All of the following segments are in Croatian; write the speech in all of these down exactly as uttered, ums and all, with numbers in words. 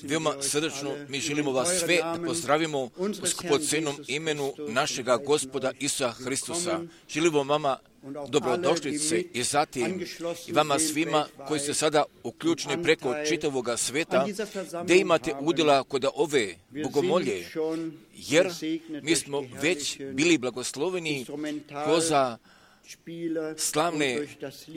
Veoma srdačno mi želimo vas sve da pozdravimo u skupocenom imenu našega Gospoda Isusa Hristusa. Želimo vama dobrodošlice i zatim i vama svima koji ste sada uključeni preko čitavoga sveta, gdje imate udjela kod ove bogomolje, jer mi smo već bili blagosloveni kroz slavne,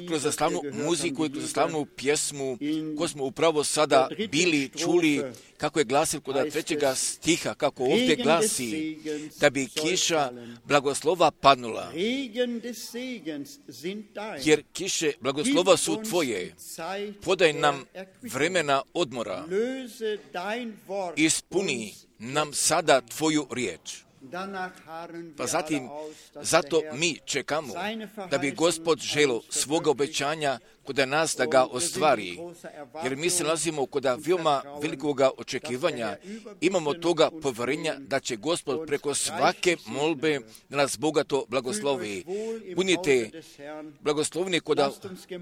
kroz slavnu muziku i kroz slavnu pjesmu koju smo upravo sada bili čuli kako je glasil kod trećega stiha, kako ovdje glasi da bi kiša blagoslova padnula. Jer kiše blagoslova su tvoje, podaj nam vremena odmora, ispuni nam sada tvoju riječ. Pa zatim, zato mi čekamo da bi Gospod želo svoga obećanja kod nas da ga ostvari, jer mi se nalazimo kod veoma velikoga očekivanja, imamo toga povjerenja da će Gospod preko svake molbe da nas bogato blagoslovi. Budite blagoslovni kod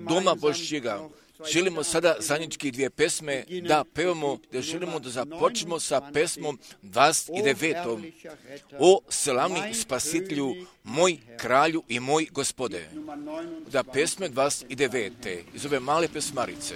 doma Božjega. Želimo sada zajednički dvije pesme da pevamo, da želimo da započnemo sa pesmom dvadeset devetom. O slavni spasitelju, moj kralju i moj Gospode. Da pesme dvadeset devete iz ove male pesmarice.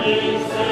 Yes.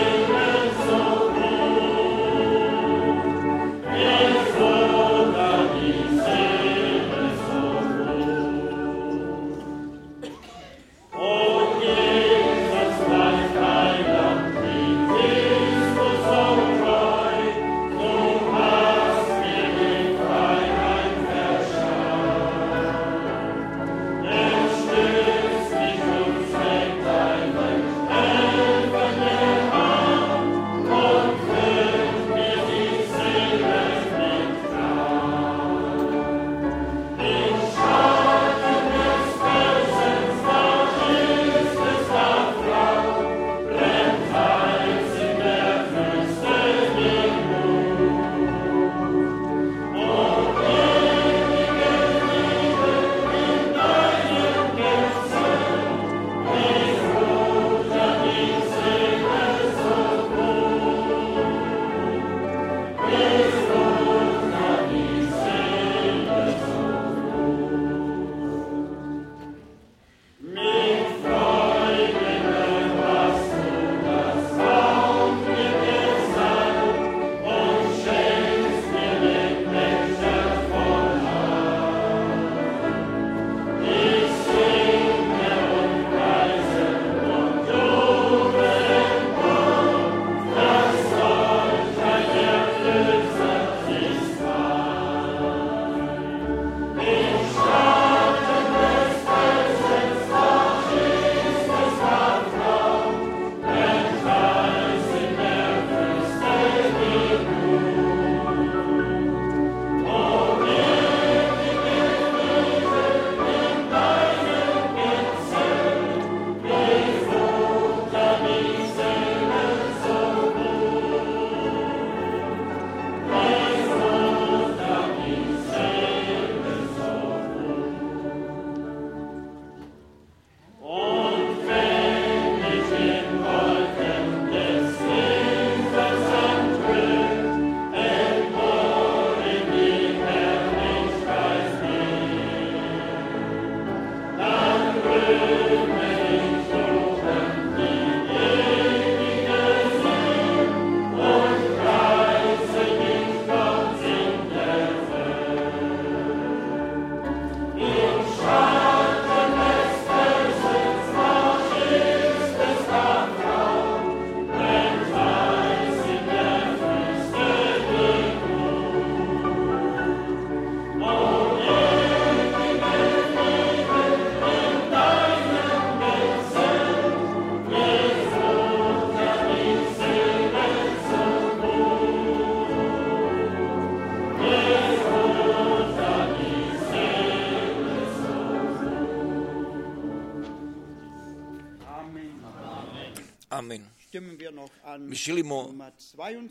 mi želimo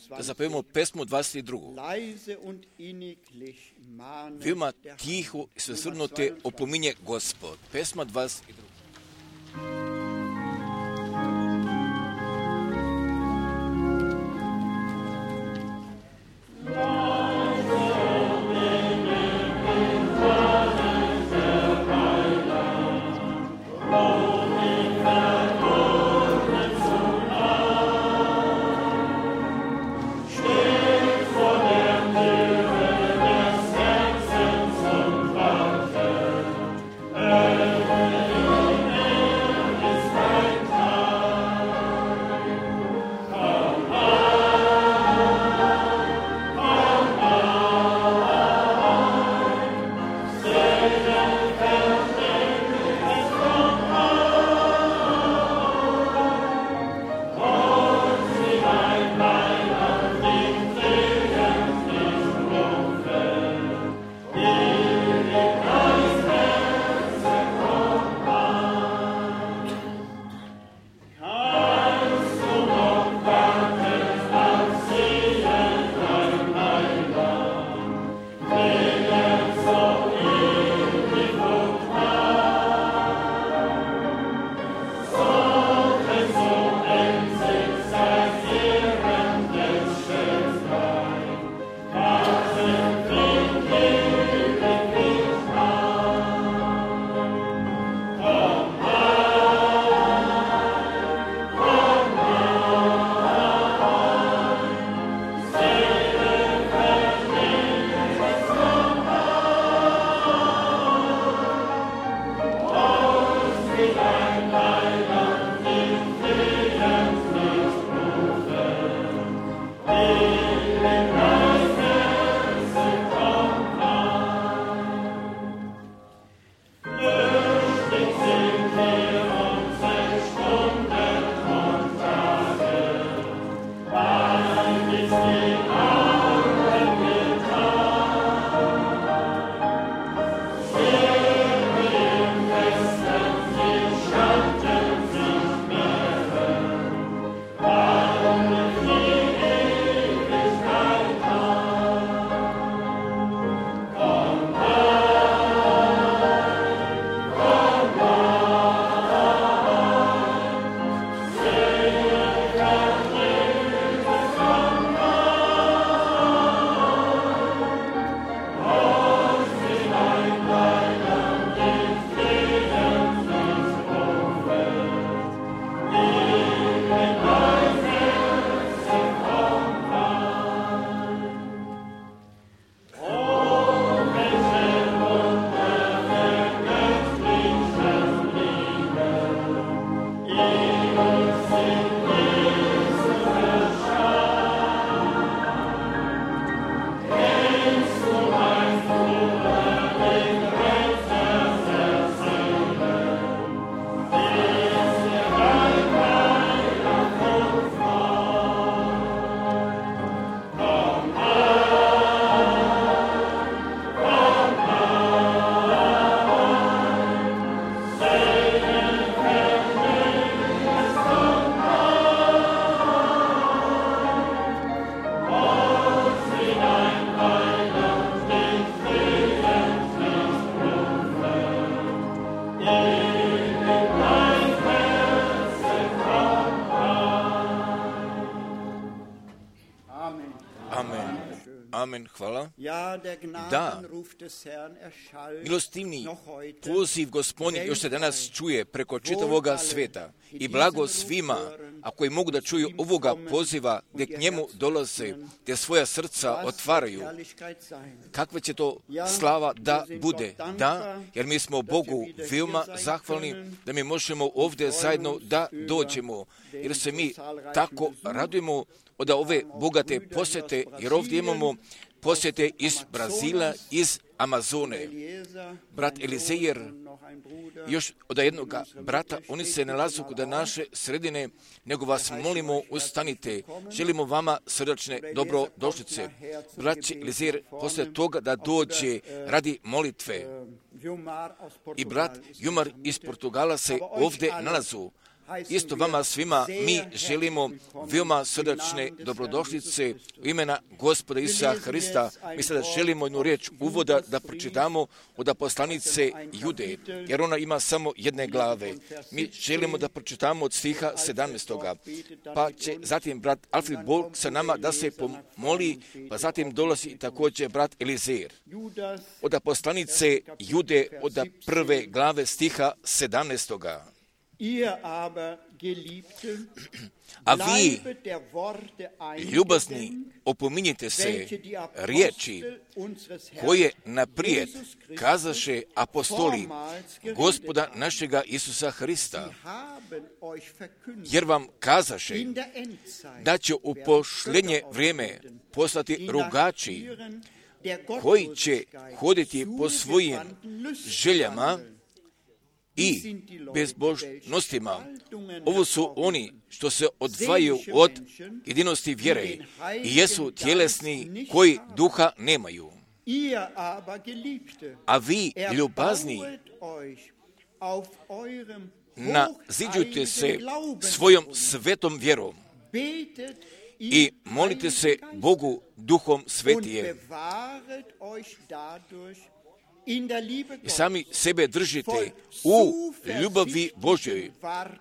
da zapevimo pesmu dvadeset drugu. Veoma tiho i svesvrnuto opominje Gospod. Pesma dvadeset druga. Amen, hvala. Da, milostivni poziv Gospodnji još se danas čuje preko čitavoga sveta i blago svima, a koji mogu da čuju ovoga poziva, gdje k njemu dolaze, gdje svoja srca otvaraju. Kakva će to slava da bude? Da, jer mi smo Bogu veoma zahvalni da mi možemo ovdje zajedno da dođemo, jer se mi tako radujemo od ove bogate posjete, jer ovdje imamo posjete iz Brazila, iz Amazone. Brat Elizejer, još od jednog brata, oni se nalazu kod naše sredine, nego vas molimo, ustanite. Želimo vama srdačne dobrodošlice. Brat Elizejer, poslije toga da dođe radi molitve. I brat Jumar iz Portugala se ovdje nalazu. isto vama svima mi želimo veoma srdačne dobrodošlice u imena Gospoda Isusa Hrista. Mi sada želimo jednu riječ uvoda da pročitamo od poslanice Jude, jer ona ima samo jedne glave. Mi želimo da pročitamo od stiha sedamnaestog. Pa će zatim brat Alfred Bog sa nama da se pomoli, pa zatim dolazi također brat Elizer. Od poslanice Jude od prve glave stiha sedamnaestog. A vi, ljubazni, opominjite se riječi koje naprijed kazaše apostoli Gospoda našega Isusa Hrista, jer vam kazaše da će u posljednje vrijeme poslati rugači koji će hoditi po svojim željama i bezbožnostima. Ovo su oni što se odvajaju od jedinosti vjere i jesu tjelesni koji duha nemaju. A vi, ljubazni, naziđujte se svojom svetom vjerom i molite se Bogu duhom svetije. I sami sebe držite u ljubavi Božjoj,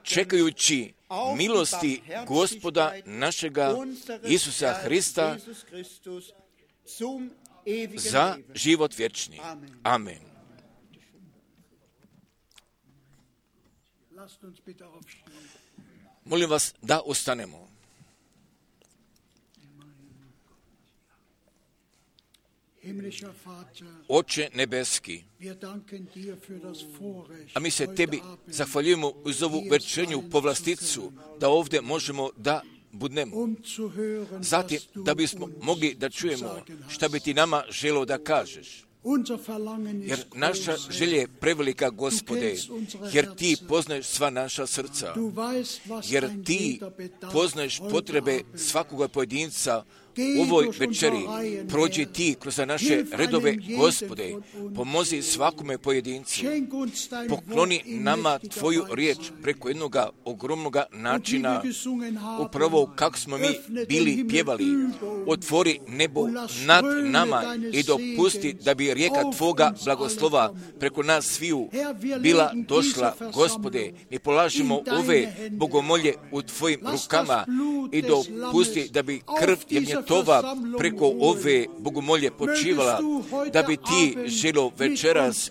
čekajući milosti Gospoda našega Isusa Hrista za život vječni. Amen. Molim vas da ustanemo. Oče nebeski, a mi se tebi zahvaljujemo uz ovu večernju povlasticu da ovdje možemo da budnemo. Zatim da bismo mogli da čujemo šta bi ti nama želio da kažeš. Jer naša želja je prevelika, Gospode, jer ti poznaješ sva naša srca, jer ti poznaješ potrebe svakoga pojedinca u ovoj večeri. Prođi ti kroz naše redove, Gospode, pomozi svakome pojedincu, pokloni nama tvoju riječ preko jednog ogromnog načina, upravo kako smo mi bili pjevali. Otvori nebo nad nama i dopusti da bi rijeka tvoga blagoslova preko nas sviju bila došla, Gospode. Mi polažemo ove bogomolje u tvojim rukama i dopusti da bi krv jagnjetova preko ove bogomolje počivala, da bi ti želo večeras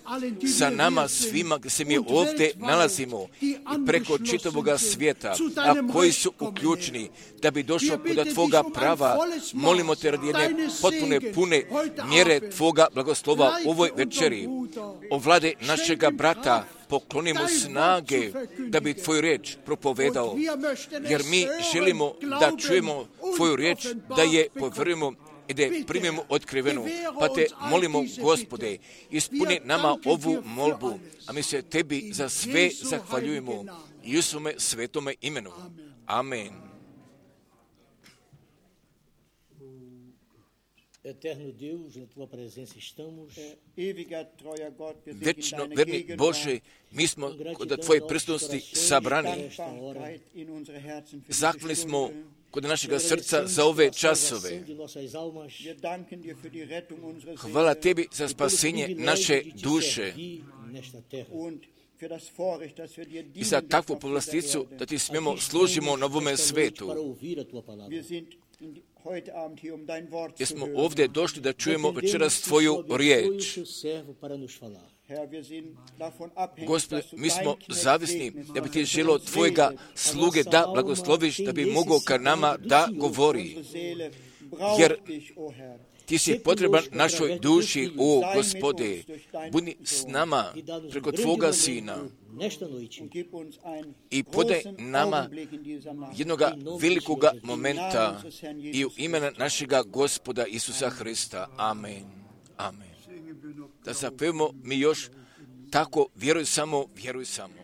sa nama svima gdje se mi ovdje nalazimo i preko čitavoga svijeta, a koji su uključeni, da bi došlo kod tvoga prava. Molimo te radi jedne potpune, pune mjere tvoga blagoslova u ovoj večeri. Ovlade našega brata, poklonimo snage da bi tvoju riječ propovedao, jer mi želimo da čujemo tvoju riječ, da je povjerujemo i da je primimo otkrivenu. Pa te molimo, Gospode, ispuni nama ovu molbu, a mi se tebi za sve zahvaljujemo i u svome svetome imenu. Amen. Eterno Deus, na tua presença estamos. Večno verni Bože, mi smo kod tvoje prisutnosti sabrani. Zahvalni smo kod našega srca za ove časove. Hvala tebi za spasenje naše duše i za takvu povlasticu da ti smijemo služimo na ovome svetu. Jer smo ovdje došli da čujemo večeras tvoju riječ. Gospode, mi smo zavisni da bi ti želio tvojega sluge da blagosloviš, da bi mogao ka nama da govori. Jer ti si potreban našoj duši, o Gospode. Budi s nama preko tvoga Sina i podaj nama jednoga velikoga momenta i u imena našega Gospoda Isusa Hrista. Amen. Amen. Da zapevamo mi još tako, vjeruj samo, vjeruj samo.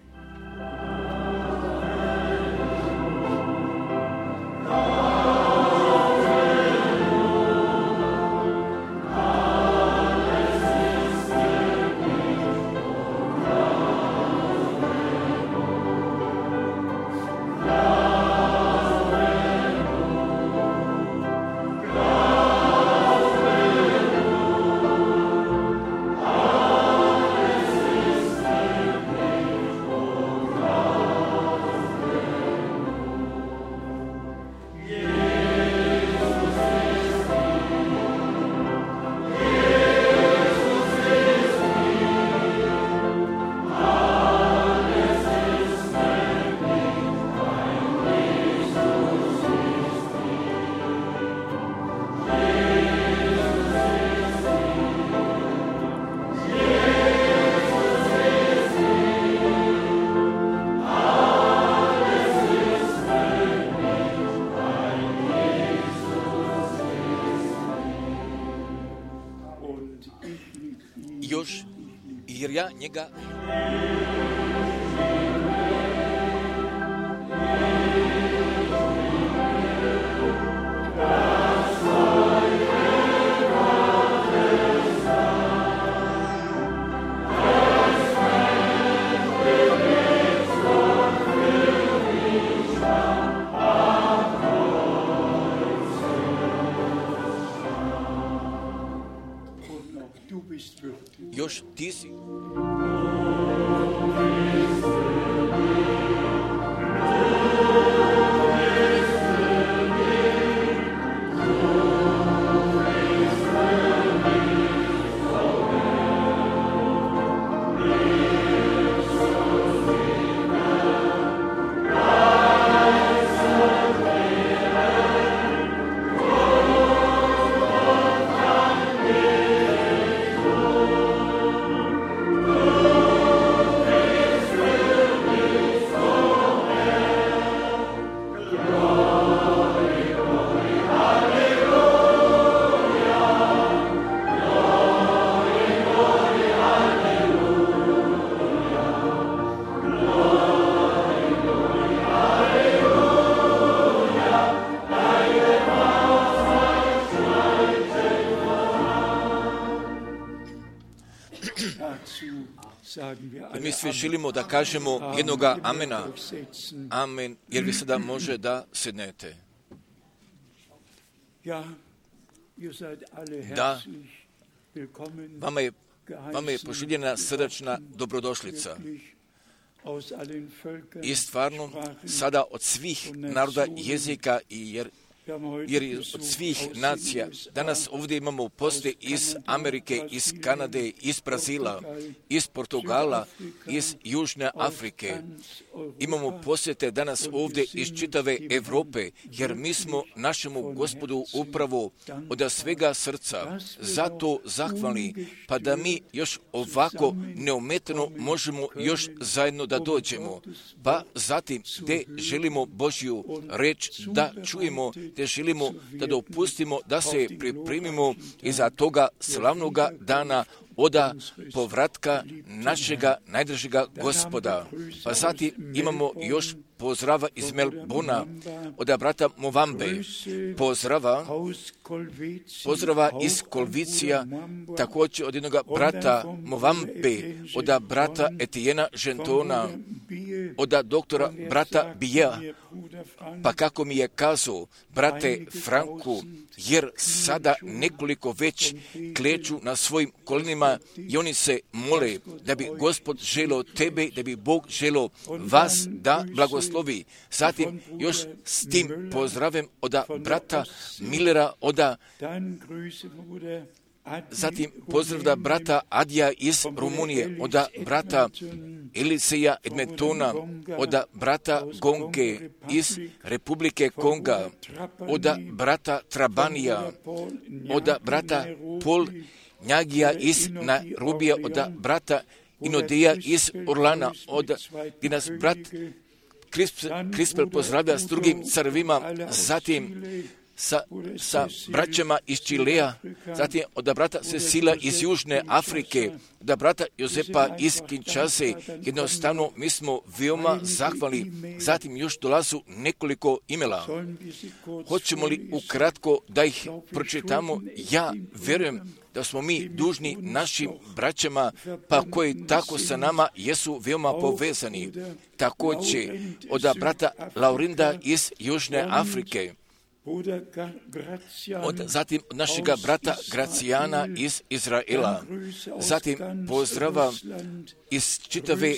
još, jer ja njega još ti si. Mi svi želimo da kažemo jednoga amena, amen, jer vi sada može da sednete. Da, vama je, vama je poželjena srdačna dobrodošlica. I stvarno, sada od svih naroda, jezika i jer jer od svih nacija, danas ovdje imamo poste iz Amerike, iz Kanade, iz Brazila, iz Portugala, iz Južne Afrike. Imamo posjete danas ovdje iz čitave Europe, jer mi smo našemu Gospodu upravo od svega srca zato zahvalni, pa da mi još ovako neometano možemo još zajedno da dođemo. Pa zatim, gdje želimo Božju reč da čujemo, gdje želimo da dopustimo da se pripremimo iza toga slavnoga dana oda povratka našega najdražega Gospoda. Pa zatim imamo još pozdrava iz Melbona od brata Movambe, pozdrava, pozdrava iz Kolvicija, također od jednog brata Movambe, od brata Etijena Žentona, od doktora brata Bija, pa kako mi je kazao, brate Franku, jer sada nekoliko već kleču na svojim kolenima i oni se mole da bi Gospod želio tebe, da bi Bog želio vas da blagoslovi. Zatim još s tim pozdravim od brata Millera, od zatim pozdrav da brata Adija iz Rumunije, od brata Eliseja Edmetona, od brata Gonge iz Republike Konga, od brata Trabanija, od brata Pol Njagija iz Nairobija, od brata Inodeja iz Orlana, od gdje nas brat Krispel pozdravlja s drugim carvima, zatim sa, sa braćama iz Čilea, zatim od brata Cecila iz Južne Afrike, od brata Jozepa iz Kinshase. Jednostavno, mi smo veoma zahvalni. Zatim još dolazu nekoliko imela. Hoćemo li ukratko da ih pročitamo? Ja verujem da smo mi dužni našim braćama, pa koji tako sa nama jesu veoma povezani. Također od brata Laurinda iz Južne Afrike, od, zatim od našega brata Gracijana iz Izraela, zatim pozdrava iz čitave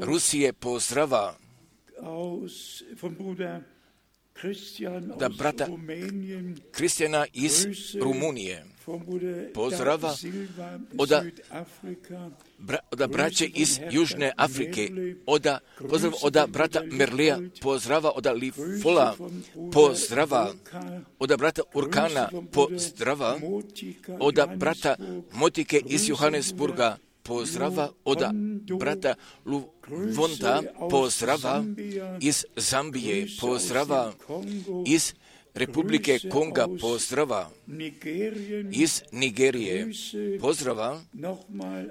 Rusije, pozdrava da brata Kristijana iz Rumunije, pozdrava od, bra, od braće iz Južne Afrike, od, pozdrav od brata Merlija, pozdrava od Lifola, pozdrava od brata Urkana, pozdrava od brata Motike iz Johannesburga, pozdrava od brata Luvonda, pozdrava iz Zambije, pozdrava iz Republike Konga pozdrava, iz Nigerije pozdrava,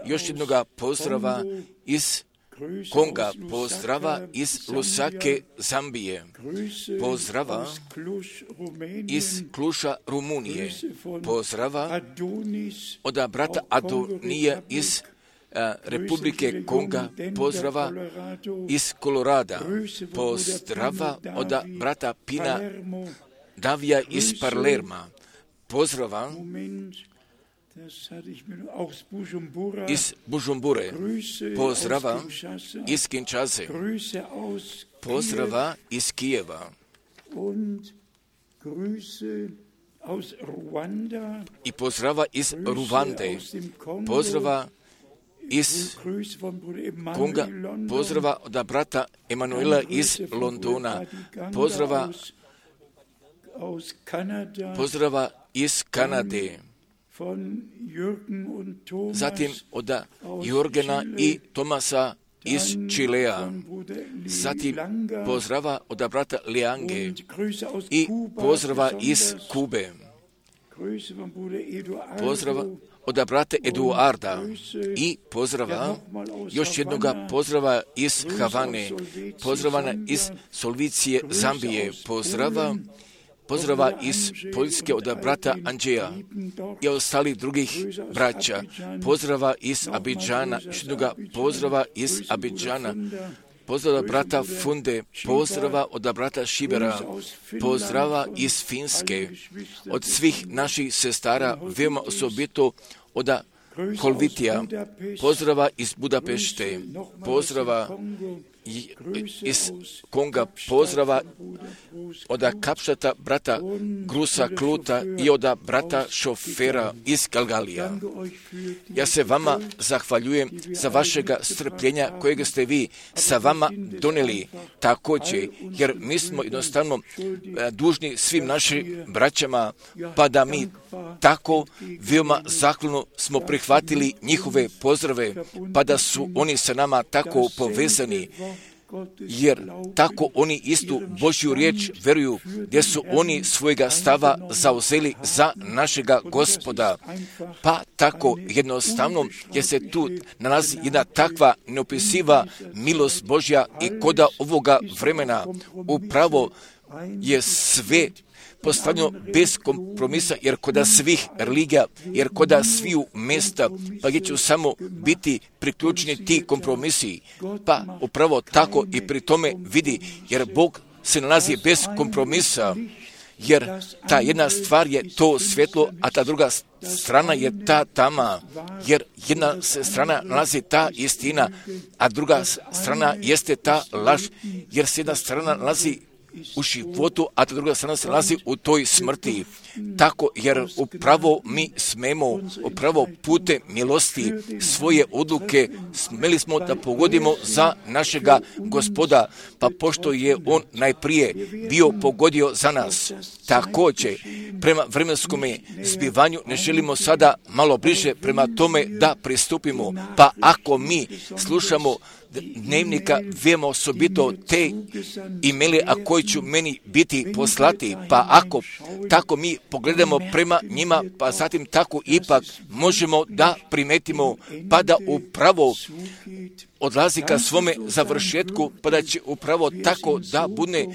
još jednoga pozdrava iz Konga pozdrava, iz Lusake, Zambije pozdrava, iz Kluša, Rumunije pozdrava, od brata Adonija iz a, Republike Konga pozdrava, iz Kolorada pozdrava, od brata Pina Davija iz Palerma pozdrava, iz Bujumbure pozdrava, iz Kinshase pozdrava, iz Kijeva i pozdrava iz Ruande, pozdrava iz Konga, pozdrava od brata Emanuela iz Londona, pozdrava pozdrava iz Kanade, zatim od Jorgena i Tomasa iz Čilea, zatim pozdrava od brata Liange i pozdrava iz Kube, pozdrava od brata Eduarda i pozdrava, još jednoga pozdrava iz Havane, pozdrava iz Solvicije, Zambije, pozdrava, pozdrava iz Poljske od brata Andžeja i ostalih drugih braća, pozdrava iz Abidžana, još jednoga pozdrava iz Abidžana, pozdrava brata Funde, pozdrava od brata Šibera, pozdrava iz Finske, od svih naših sestara, veoma osobito od Kolvitija, pozdrava iz Budapešte, pozdrava iz Konga, pozdrava od Kapštata brata Grusa Kluta i od brata Šofera iz Galgalija. Ja se vama zahvaljujem za vašega strpljenja kojega ste vi sa vama donijeli također, jer mi smo jednostavno dužni svim našim braćama, pa da mi tako veoma zahvalno smo prihvatili njihove pozdrave, pa da su oni sa nama tako povezani, jer tako oni istu Božju riječ veruju, gdje su oni svojega stava zauzeli za našega Gospoda. Pa tako jednostavno, jer se tu nalazi jedna takva neopisiva milost Božja i koda ovoga vremena upravo je sve postavljeno bez kompromisa, jer koda svih religija, jer koda sviju mjesta, pa gdje će samo biti priključeni ti kompromisi, pa upravo tako i pri tome vidi, jer Bog se nalazi bez kompromisa, jer ta jedna stvar je to svjetlo, a ta druga strana je ta tama, jer jedna se strana nalazi ta istina, a druga strana jeste ta laž, jer se jedna strana nalazi u životu, a ta druga strana se nalazi u toj smrti. Tako, jer upravo mi smemo, upravo putem milosti svoje odluke smeli smo da pogodimo za našega Gospoda, pa pošto je On najprije bio pogodio za nas. Također, prema vremenskome zbivanju ne želimo sada malo bliže prema tome da pristupimo, pa ako mi slušamo dnevnika veoma osobito te imeli, a koji ću meni biti poslati, pa ako tako mi pogledamo prema njima, pa zatim tako ipak možemo da primetimo, pa da upravo odlazi ka svome završetku, pa da će upravo tako da bude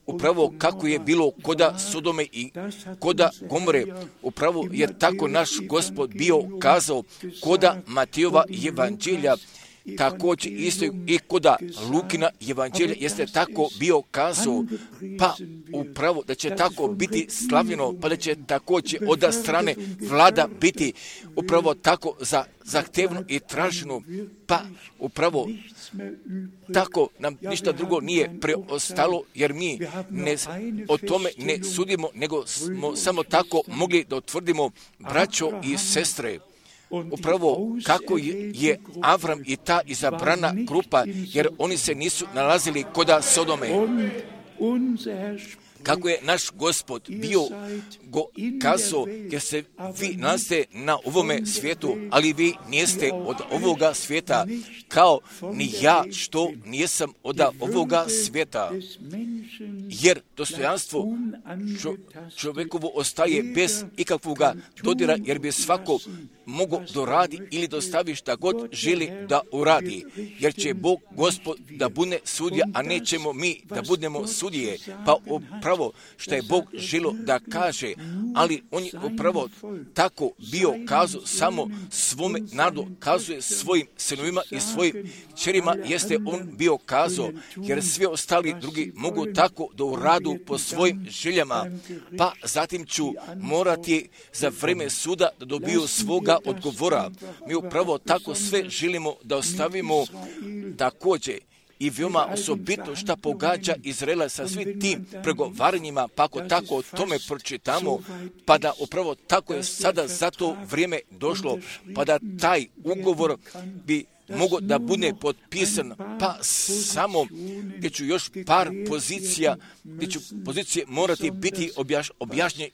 upravo kako je bilo koda Sodome i koda Gomore. Upravo je tako naš Gospod bio kazao koda Matejova evanđelja, također isto i koda Lukina evanđelja jeste tako bio kazao, pa upravo da će tako biti slavljeno, pa da će također od strane vlada biti upravo tako za zahtevno i traženo, pa upravo tako nam ništa drugo nije preostalo, jer mi ne, o tome ne sudimo, nego smo samo tako mogli da utvrdimo, braćo i sestre, upravo kako je, je Avram i ta izabrana grupa, jer oni se nisu nalazili koda Sodome. kako je naš Gospod bio go kazao, jer se vi nalazite na ovome svijetu, ali vi nijeste od ovoga svijeta, kao ni ja što nijesam od ovoga svijeta. Jer dostojanstvo čo, čovjekovo ostaje bez ikakvoga dodira, jer bi svako mogo doradi ili dostavi šta god želi da uradi. Jer će Bog Gospod da bude sudija, a nećemo mi da budemo sudije. Pa upravo što je Bog želo da kaže, ali on je upravo tako bio kazao samo svome narodu, kazuje svojim sinovima i svojim kćerima, jeste on bio kazao, jer svi ostali drugi mogu tako da uradu po svojim željama, pa zatim ću morati za vreme suda da dobiju svoga odgovora. Mi upravo tako sve želimo da ostavimo također. I veoma osobito šta pogađa Izraela sa svim tim pregovaranjima, pa ako tako o tome pročitamo, pa da upravo tako je sada za to vrijeme došlo, pa da taj ugovor bi mogo da bude potpisan, pa samo gdje ću još par pozicija, gdje ću pozicije morati biti objaš, objašnje,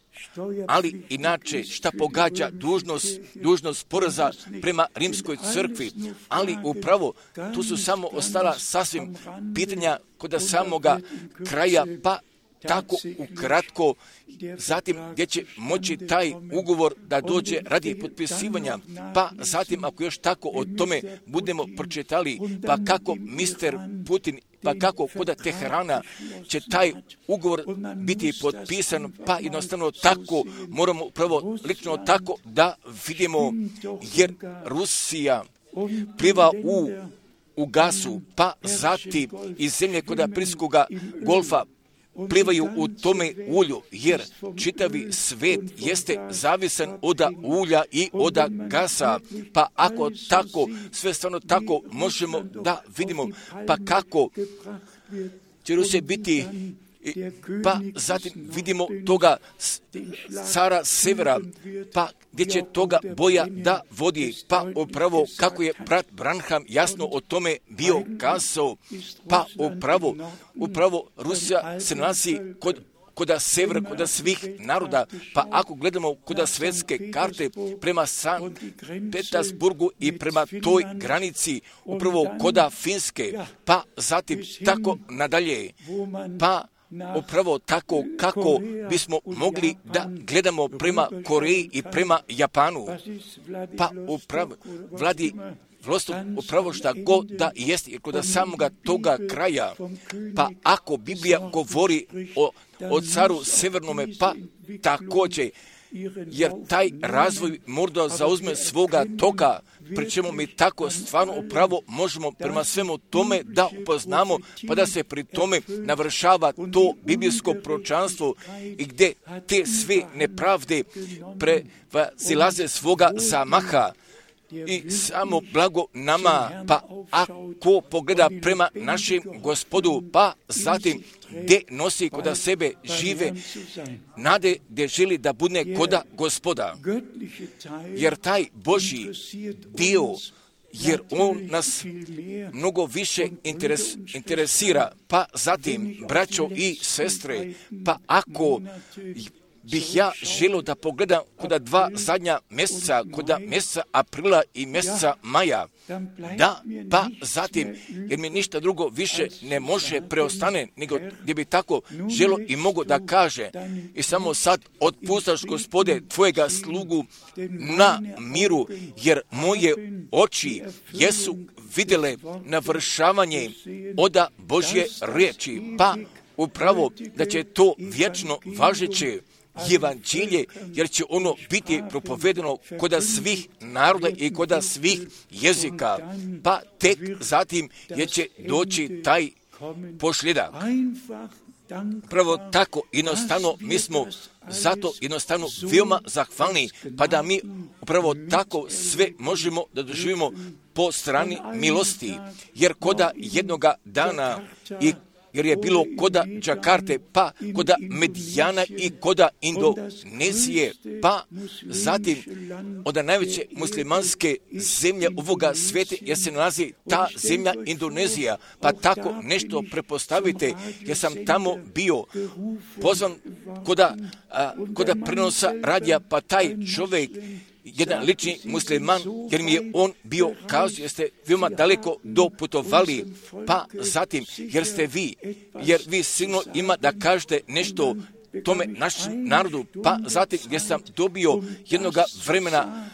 ali inače šta pogađa dužnost, dužnost poreza prema rimskoj crkvi, ali upravo tu su samo ostala sasvim pitanja kod samoga kraja, pa tako ukratko, zatim gdje će moći taj ugovor da dođe radi potpisivanja, pa zatim ako još tako o tome budemo pročitali, pa kako mister Putin, pa kako kod Teherana će taj ugovor biti potpisan, pa jednostavno tako moramo upravo lično tako da vidimo, jer Rusija pliva u, u gasu, pa zatim iz zemlje kod Perskog golfa plivaju u tome ulju, jer čitavi svet jeste zavisan od ulja i od gasa, pa ako tako, sve stvarno tako možemo da vidimo, pa kako će Rusija biti, pa zatim vidimo toga cara severa, pa gdje će toga boja da vodi, pa upravo kako je brat Branham jasno o tome bio kazao, pa upravo, upravo Rusija se nalazi kod koda severa, koda svih naroda, pa ako gledamo koda svetske karte prema San Petersburgu i prema toj granici, upravo koda Finske, pa zatim tako nadalje, pa upravo tako kako bismo mogli da gledamo prema Koreji i prema Japanu, pa upravo vladi vlastno upravo šta god da jest, jer kod samoga toga kraja, pa ako Biblija govori o, o caru severnome, pa također, jer taj razvoj možda zauzme svoga toka, pri čemu mi tako stvarno upravo možemo prema svemu tome da upoznamo, pa da se pri tome navršava to biblijsko proročanstvo i gdje te sve nepravde prevazilaze svoga zamaha. I samo blago nama, pa ako pogleda prema našem Gospodu, pa zatim gdje nosi koda sebe žive nade, gdje želi da bude koda Gospoda. Jer taj Božji dio, jer on nas mnogo više interes, interesira, pa zatim, braćo i sestre, pa ako bih ja želio da pogledam koda dva zadnja mjeseca, koda mjeseca aprila i mjeseca maja, da, pa zatim, jer mi ništa drugo više ne može preostane, nego gdje bi tako želio i mogo da kaže, i samo sad otpustaš, Gospode, tvojega slugu na miru, jer moje oči jesu vidjele navršavanje oda Božje riječi, pa upravo da će to vječno važeće evanđelje, jer će ono biti propovedeno koda svih naroda i koda svih jezika, pa tek zatim je će doći taj posljedak. Prvo tako, jednostavno, mi smo zato jednostavno veoma zahvalni, pa da mi upravo tako sve možemo da doživimo po strani milosti, jer koda jednoga dana i jer je bilo koda Džakarte, pa koda Medijana i koda Indonezije, pa zatim od najveće muslimanske zemlje ovoga svijeta, jer se nalazi ta zemlja Indonezija, pa tako nešto prepostavite, jer sam tamo bio pozvan koda, a, koda prenosa radija, pa taj čovjek, jedan lični musliman, jer mi je on bio kazao, jer ste veoma daleko doputovali, pa zatim, jer ste vi, jer vi sigurno ima da kažete nešto tome našem narodu, pa zatim gdje sam dobio jednoga vremena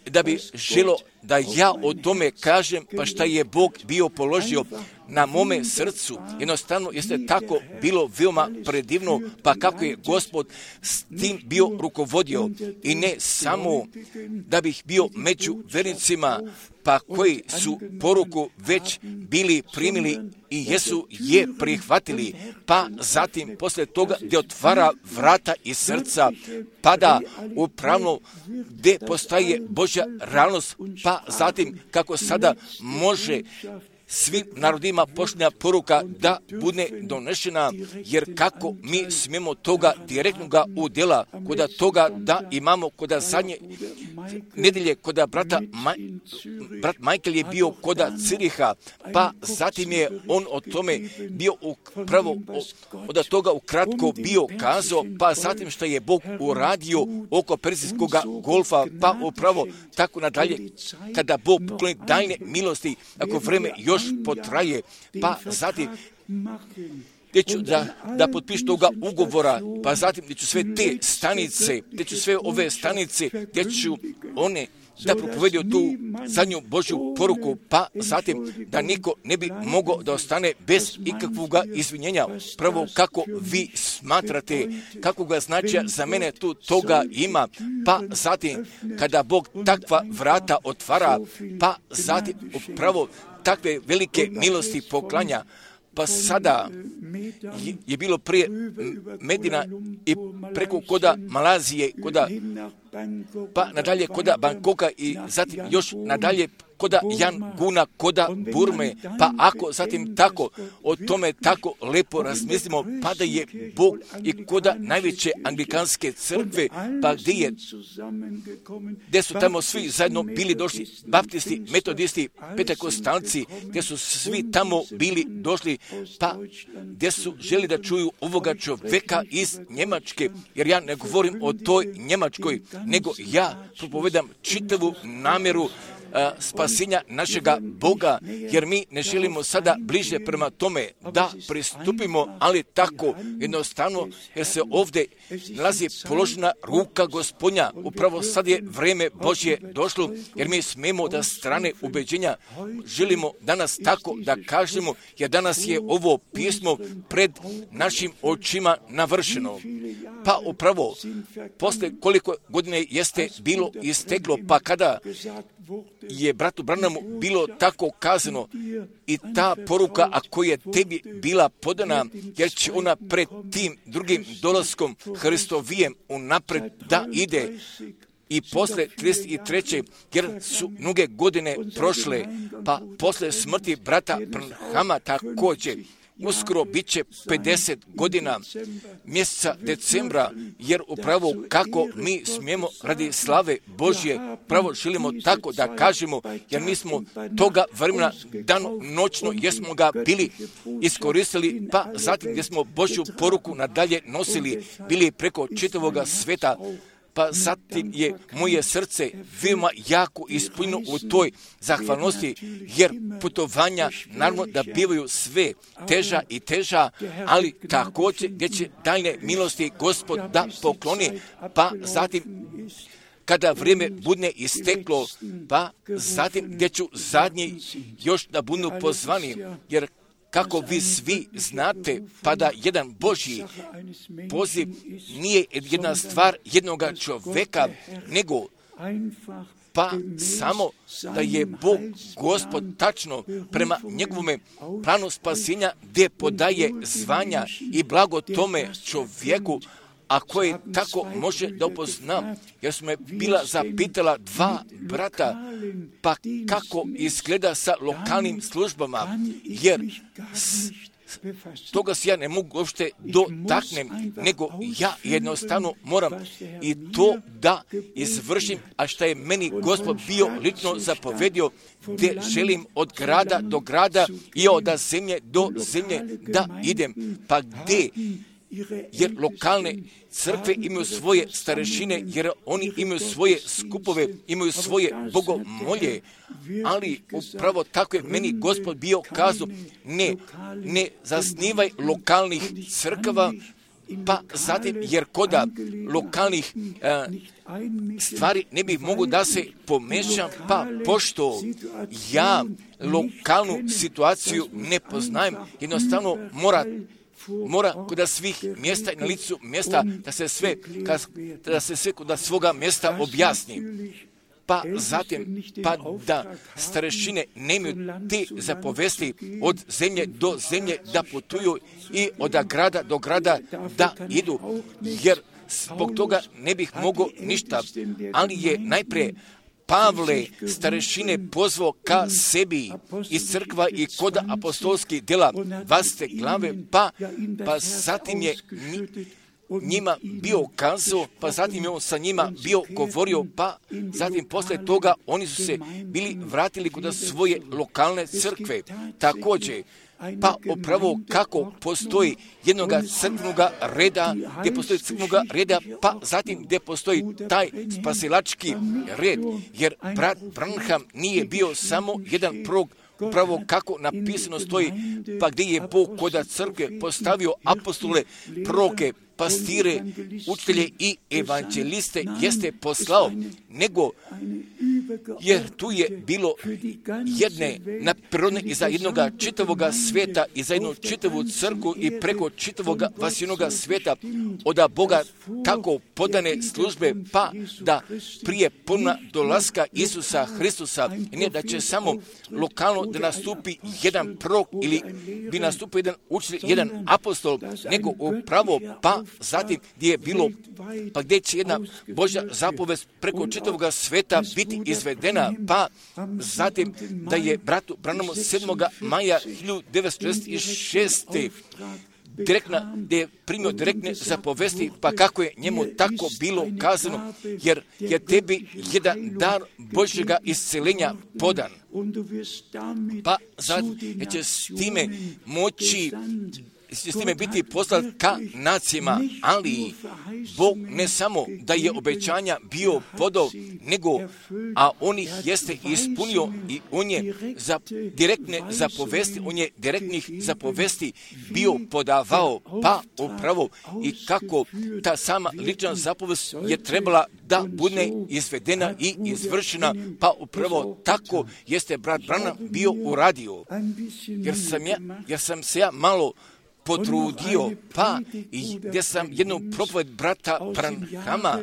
da bi želo da ja o tome kažem, pa šta je Bog bio položio na mome srcu. Jednostavno jeste tako bilo veoma predivno, pa kako je Gospod s tim bio rukovodio. I ne samo da bih bio među vernicima, pa koji su poruku već bili primili i jesu je prihvatili, pa zatim posle toga gdje otvara vrata i srca, pada upravno gdje postaje Božja realnost, pa zatim kako sada može svim narodima pošlja poruka da bude donešena, jer kako mi smijemo toga direktnoga udjela, koda toga da imamo koda zadnje nedelje, koda brata Maj, brat Michael je bio koda Ciriha, pa zatim je on o tome bio upravo od toga ukratko bio kazao, pa zatim što je Bog uradio oko Perzijskog golfa, pa upravo tako nadalje, kada Bog pokloni daljne milosti, ako vreme još potraje, pa zatim gdje ću da, da potpišu toga ugovora, pa zatim gdje ću sve te stanice, gdje ću sve ove stanice, gdje ću one da propovedio tu zadnju Božju poruku, pa zatim da niko ne bi mogao da ostane bez ikakvog izvinjenja. Prvo kako vi smatrate, kako ga značaja za mene tu toga ima, pa zatim kada Bog takva vrata otvara, pa zatim upravo takve velike milosti poklanja. Pa sada je, je bilo prije Medina i preko koda Malazije, koda, pa nadalje koda Bangkoka i zatim još nadalje koda Yanguna, koda Burme, pa ako zatim tako o tome tako lepo razmislimo, pa da je Bog i koda najveće anglikanske crkve, pa gdje je, gdje su tamo svi zajedno bili došli, baptisti, metodisti, pentekostalci, gdje su svi tamo bili došli, pa gdje su želi da čuju ovoga čovjeka iz Njemačke, jer ja ne govorim o toj Njemačkoj, nego ja propovedam čitavu namjeru a, spasenja našega Boga, jer mi ne želimo sada bliže prema tome da pristupimo, ali tako jednostavno, jer se ovdje nalazi položena ruka Gospodnja. Upravo sad je vrijeme Božje došlo, jer mi smemo da strane ubeđenja želimo danas tako da kažemo, jer danas je ovo pismo pred našim očima navršeno. Pa upravo, posle koliko godine jeste bilo isteklo, pa kada je bratu Branamu bilo tako kazano i ta poruka, ako je tebi bila podana, jer će ona pred tim drugim dolaskom Hristovijem unapred da ide. I posle trideset treće jer su mnoge godine prošle, pa posle smrti brata Branhama također, uskoro bit će pedeset godina mjeseca decembra, jer upravo kako mi smijemo radi slave Božje, pravo želimo tako da kažemo, jer mi smo toga vremena dano noćno, jer smo ga bili iskoristili, pa zatim gdje smo Božju poruku nadalje nosili, bili preko čitavoga sveta, pa zatim je moje srce veoma jako ispunjeno u toj zahvalnosti, jer putovanja naravno da bivaju sve teža i teža, ali također gdje će daljne milosti Gospod da pokloni, pa zatim kada vrijeme bude isteklo, pa zatim gdje ću zadnji još da budu pozvani, jer kako vi svi znate, pa da jedan Božji poziv nije jedna stvar jednoga čovjeka, nego pa samo da je Bog Gospod tačno prema njegovome planu spasenja gdje podaje zvanja i blago tome čovjeku, a koje tako može da upozna, jer smo me bila zapitala dva brata, pa kako izgleda sa lokalnim službama, jer s, toga se ja ne mogu uopšte dotaknem, nego ja jednostavno moram i to da izvršim, a što je meni Gospod bio lično zapovedio, gdje želim od grada do grada i od zemlje do zemlje da idem. Pa gdje? Jer lokalne crkve imaju svoje starešine, jer oni imaju svoje skupove, imaju svoje bogomolje, ali upravo tako je meni Gospod bio kazao, ne, ne zasnivaj lokalnih crkava, pa zatim, jer koda lokalnih a, stvari ne bih mogu da se pomešam, pa pošto ja lokalnu situaciju ne poznajem, jednostavno mora mora kod svih mjesta i na licu mjesta da se sve, da se sve kod svoga mjesta objasni. Pa zatim, pa da starešine nemaju te zapovesti od zemlje do zemlje da putuju i od grada do grada da idu, jer zbog toga ne bih mogao ništa, ali je najprije Pavle starešine pozvao ka sebi iz crkva i kod apostolskih djela dvadesete glave, pa, pa zatim je njima bio kazao, pa zatim je on sa njima bio govorio, pa zatim posle toga oni su se bili vratili kod svoje lokalne crkve. Također, pa upravo kako postoji jednoga crkvenoga reda, gdje postoji crkvenoga reda, pa zatim gdje postoji taj spasilački red, jer brat Branham nije bio samo jedan prorok, upravo kako napisano stoji, pa gdje je Bog kod crkve postavio apostole, proroke, pastire, učitelje i evanđeliste jeste poslao, nego jer tu je bilo jedne naprirodne i za jednoga čitavoga svijeta i za jednu čitavu crkvu i preko čitavoga vasinoga svijeta od Boga tako podane službe, pa da prije puna dolaska Isusa Hristusa, ne da će samo lokalno da nastupi jedan prorok ili bi nastupio jedan učitelj, jedan apostol, nego upravo pa zatim gdje je bilo, pa gdje će jedna Božja zapovest preko čitavoga sveta biti izvedena, pa zatim da je bratu Branhamu sedmog maja hiljadu devetsto šezdeset šeste direktna, gdje je primio direktne zapovesti, pa kako je njemu tako bilo kazano, jer je tebi jedan dar Božjega isceljenja podan. Pa zatim je će s time moći s time biti poslat ka nacijama, ali Bog ne samo da je obećanja bio podao, nego, a on ih jeste ispunio i on je za direktne zapovesti, on je direktnih zapovesti bio podavao, pa upravo i kako ta sama lična zapovest je trebala da bude izvedena i izvršena, pa upravo tako jeste brat Branham bio uradio, jer sam, ja, jer sam se ja malo potrudio, pa i gdje sam jednu propoved brata Branhama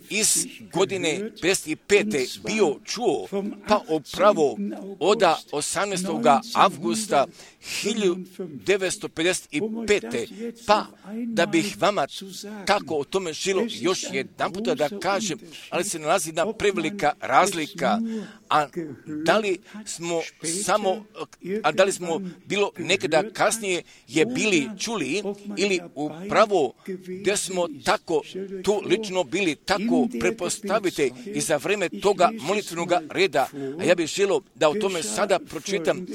iz godine pedeset pete bio čuo, pa upravo od osamnaestog avgusta hiljadu devetsto pedeset pete. Pa da bih vama tako o tome želio još jedan puta da kažem, ali se nalazi jedna prevelika razlika, a da li smo samo, a da li smo bilo nekada kasnije je bili čuli ili upravo gdje smo tako tu lično bili tako prepostavite i za vreme toga molitvenog reda, a ja bih želio da o tome sada pročitam,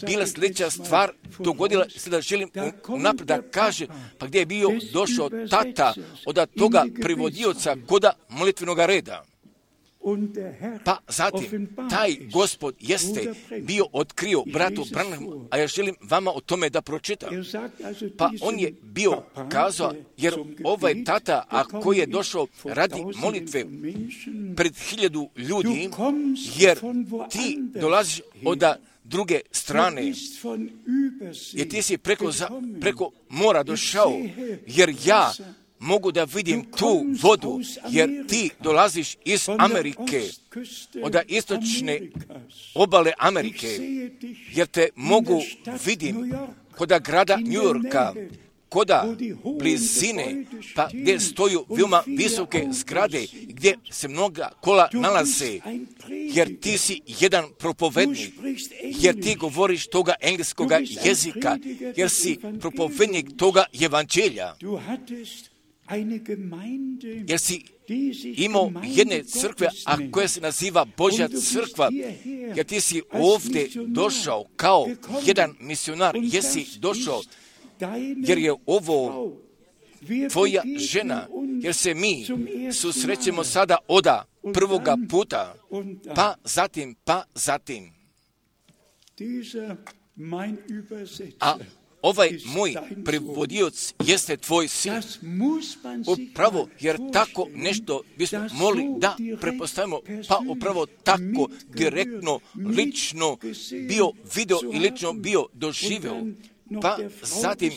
bila sljedeća stvar dogodila, sada želim naprijed da kaže, pa gdje je bio došao tata od toga prevodioca koda molitvenog reda. Pa zatim, taj Gospod jeste bio otkrio bratu Branhamu, a ja želim vama o tome da pročitam. Pa on je bio kazao, jer ovaj tata, a koji je došao radi molitve pred hiljadu ljudi, jer ti dolaziš od druge strane, jer ti si preko, za, preko mora došao, jer ja mogu da vidim tu vodu, jer ti dolaziš iz Amerike, od istočne obale Amerike, jer te mogu vidim kod grada New Yorka, koda blizine, pa gdje stoju veoma visoke zgrade, gdje se mnoga kola nalaze, jer ti si jedan propovednik, jer ti govoriš toga engleskoga jezika, jer si propovednik toga evanđelja, jer si imao jedne crkve, a koja se naziva Božja crkva, jer ti si ovdje došao kao jedan misionar, jesi došao, jer je ovo tvoja žena, jer se mi susrećemo sada oda prvoga puta, pa zatim, pa zatim. A ovaj moj prevodioc jeste tvoj sin. Upravo, jer tako nešto bismo mogli da prepostavimo, pa upravo tako direktno, lično bio video i lično bio doživio. Pa zatim,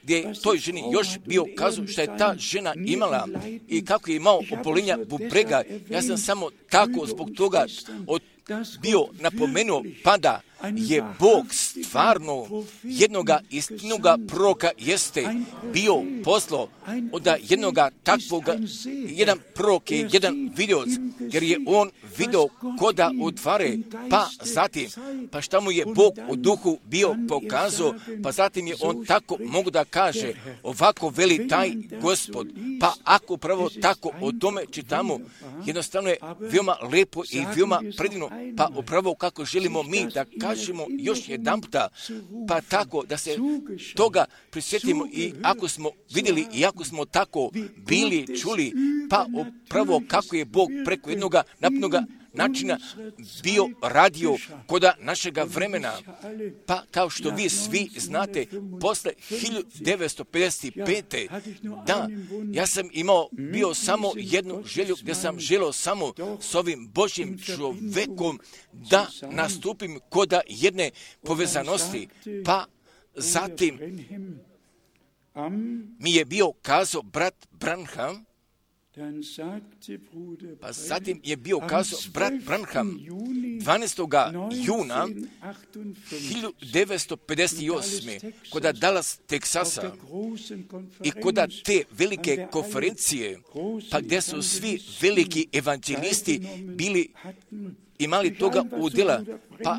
gdje je toj ženi još bio kazao što je ta žena imala i kako je imao obolenja bubrega. Ja sam samo tako zbog toga od bio napomenuo, pa da je Bog stvarno jednoga istinoga proroka jeste bio poslao od jednoga takvoga, jedan prorok je jedan vidioc, jer je on video koda utvare, pa zatim, pa šta mu je Bog u duhu bio pokazao, pa zatim je on tako mogu da kaže, ovako veli taj Gospod, pa ako pravo tako o tome čitamo, jednostavno je veoma lepo i veoma predivno, pa upravo kako želimo mi da kažemo još jedan puta, pa tako da se toga prisjetimo i ako smo vidjeli i ako smo tako bili, čuli, pa upravo kako je Bog preko jednoga napnoga načina bio radio koda našega vremena, pa kao što vi svi znate, posle hiljadu devetsto pedeset pete. da, ja sam imao bio samo jednu želju, gdje sam želio samo s ovim Božjim čovekom da nastupim koda jedne povezanosti, pa zatim mi je bio kazao brat Branham, pa zatim je bio kazao brat Branham dvanaestog juna hiljadu devetsto pedeset osme koda Dallas, Teksasa, i koda te velike konferencije, pa gdje su svi veliki evanđelisti bili imali toga udjela, pa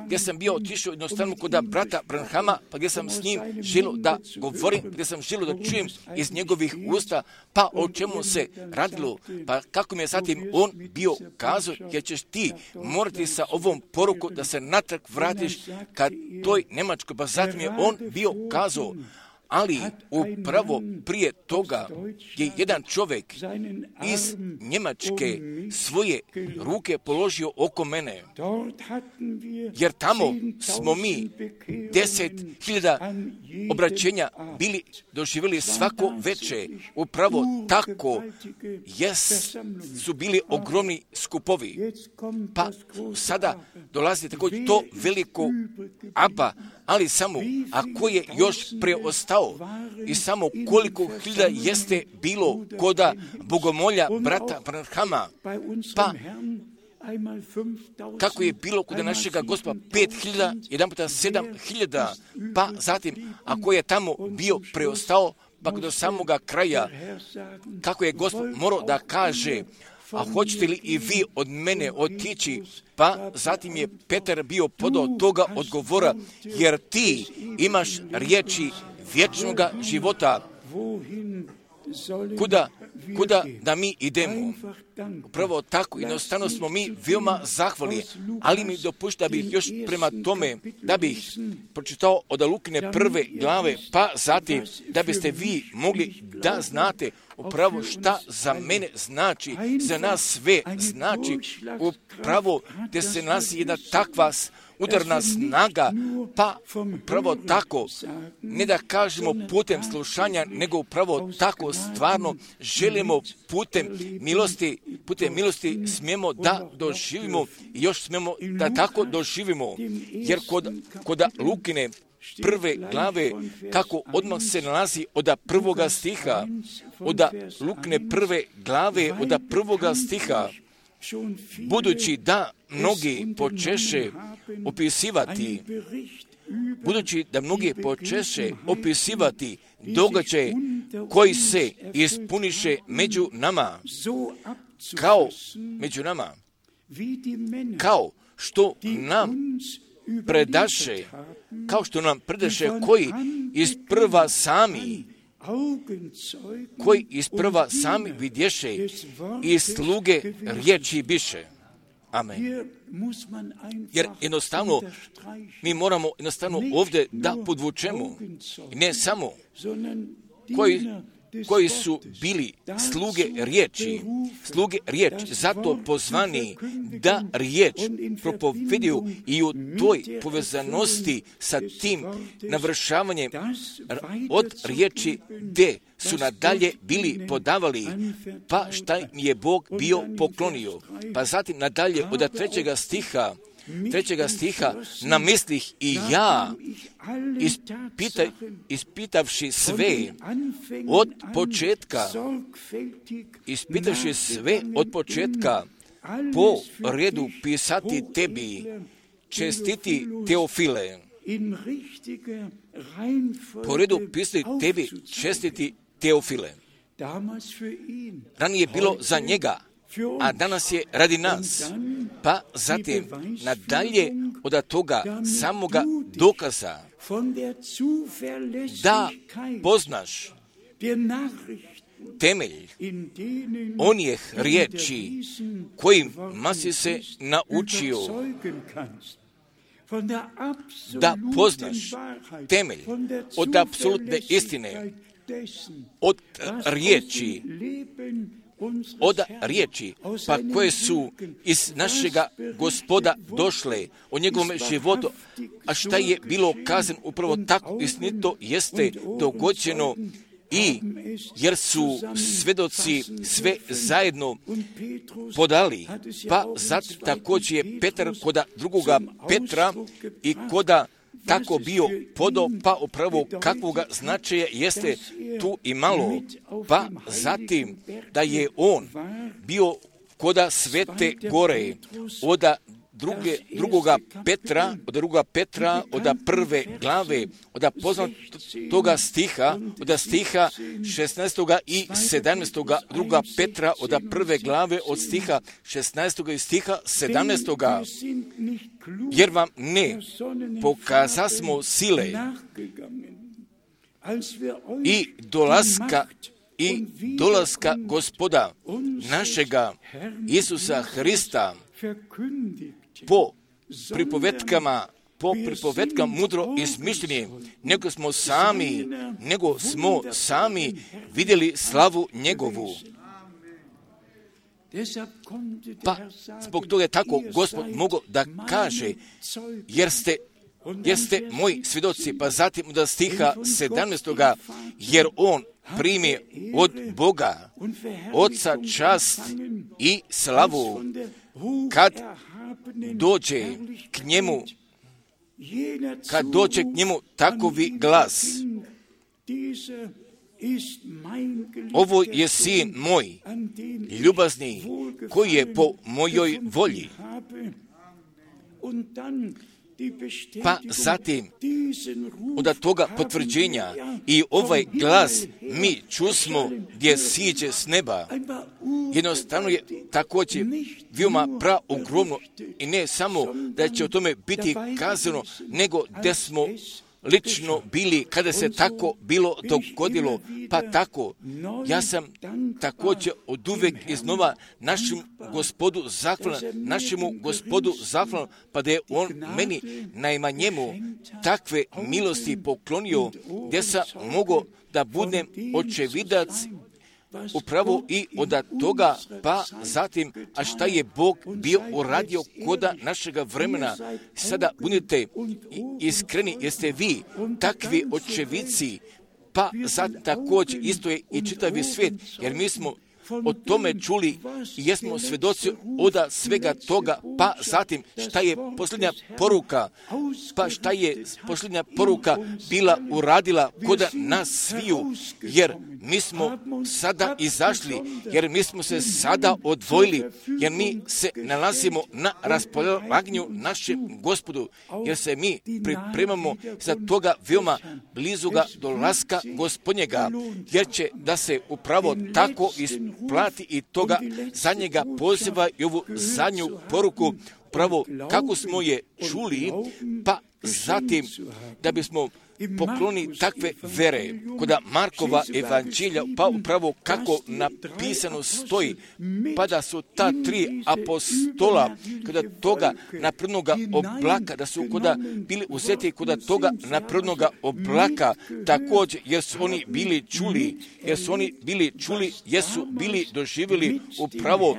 gdje sam bio otišao jednostavno kod brata Branhama, pa gdje sam s njim želio da govorim, gdje sam želio da čujem iz njegovih usta, pa o čemu se radilo, pa kako mi je zatim on bio kazao, jer ćeš ti morati sa ovom poruku da se natrag vratiš kad toj Njemačkoj, pa zatim je on bio kazao, ali upravo prije toga je jedan čovjek iz Njemačke svoje ruke položio oko mene, jer tamo smo mi deset hiljada obraćenja bili doživjeli svako veče. Upravo tako jes, su bili ogromni skupovi. Pa sada dolazi također to veliko aba, ali samo ako je još preostao i samo koliko hiljada jeste bilo koda bogomolja brata Branhama, pa kako je bilo kod našega Gospoda pet hiljada, jedan puta sedam hiljada, pa zatim ako je tamo bio preostao, pa do samoga kraja, kako je Gospod morao da kaže, a hoćete li i vi od mene otići? Pa zatim je Petar bio podao toga odgovora, jer ti imaš riječi vječnoga života. Kuda, kuda da mi idemo? Upravo tako, jednostavno smo mi veoma zahvalni, ali mi dopušta bih još prema tome da bih pročitao od Lukine prve glave, pa zatim da biste vi mogli da znate upravo šta za mene znači, za nas sve znači, upravo gdje se nalazi jedna takva udarna snaga, pa upravo tako, ne da kažemo putem slušanja, nego upravo tako stvarno želimo putem milosti, putem milosti smijemo da doživimo i još smijemo da tako doživimo, jer kod, kod Lukine prve glave, kako odmah se nalazi od prvoga stiha, od Lukine prve glave, od prvoga stiha, budući da mnogi počeše opisivati budući da mnogi počeše opisivati događaje koji se ispuniše među nama, kao među nama, kao što nam predaše, kao što nam predaše koji isprva sami, koji isprva sami vidješe i sluge riječi biše. Amen. Jer jednostavno, mi moramo jednostavno ovdje da podvučemo, ne samo koji, koji su bili sluge riječi, sluge riječi, zato pozvani da riječ propovediju i u toj povezanosti sa tim navršavanjem od riječi gdje su nadalje bili podavali, pa šta im je Bog bio poklonio. Pa zatim nadalje od trećega stiha, trećega stiha, namislih i ja, ispita, ispitavši sve od početka, ispitavši sve od početka, po redu pisati tebi, čestiti Teofile, po redu pisati tebi, čestiti Teofile. Ranije je bilo za njega, a danas je radi nas. Pa zatim, nadalje od toga samoga dokaza, da poznaš temelj onih riječi kojima si se naučio, da poznaš temelj od apsolutne istine, od riječi, od riječi, pa koje su iz našega Gospoda došle o njegovom životu, a šta je bilo kazano upravo tako istinito jeste dogođeno, i jer su svedoci sve zajedno podali, pa zatim također je Petar koda drugoga Petra i koda tako bio podo, pa upravo kakvoga značaja jeste tu i malo, pa zatim da je on bio koda Svete gore, od druge, drugoga Petra, od drugoga Petra, od prve glave, od poznatoga stiha, od stiha šesnaestoga i sedamnaestoga, druga Petra, od prve glave, od stiha šesnaestoga i stiha sedamnaestoga, jer vam ne pokazasmo sile i dolaska i dolaska Gospoda našega Isusa Hrista po pripovetkama, po pripovetkama mudro izmišljeni, nego smo sami, nego smo sami vidjeli slavu njegovu. Pa zbog toga je tako Gospod mogao da kaže, jer ste, jer ste moji svjedoci, pa zatim od stiha sedamnaestoga, jer on primi od Boga, Oca čast i slavu, kad dođe k njemu, kad dođe k njemu takovi glas, ovo je sin moj, ljubazni, koji je po mojoj volji. Pa zatim, od toga potvrđenja i ovaj glas mi čusmo gdje siđe s neba, jednostavno je također veoma praogromno i ne samo da će o tome biti kazano, nego da smo lično bili kada se tako bilo dogodilo, pa tako ja sam također od uvek iznova našem Gospodu zahvalan, našemu Gospodu zahvalan, pa da je on meni najmanjemu takve milosti poklonio, gdje sam mogao da budem očevidac upravo i od toga, pa zatim, a šta je Bog bio uradio koda našega vremena. Sada budite iskreni, jeste vi takvi očevici, pa zatim također isto je i čitavi svijet, jer mi smo o tome čuli i jesmo svjedoci od svega toga, pa zatim šta je posljednja poruka, pa šta je posljednja poruka bila uradila kod nas sviju, jer mi smo sada izašli, jer mi smo se sada odvojili, jer mi se nalazimo na raspolaganju našem Gospodu, jer se mi pripremamo za toga veoma blizuga dolaska Gospodnjega, jer će da se upravo tako isplati i toga zadnjega poziva i ovu zadnju poruku, upravo kako smo je čuli, pa zatim da bismo pokloni takve vere, koda Markova evanđelja, pa upravo kako napisano stoji, pa da su ta tri apostola, kada toga naprednoga oblaka, da su koda bili uzeti koda toga naprednoga oblaka, također, jer su oni bili čuli, jer su oni bili čuli, jer su bili doživjeli upravo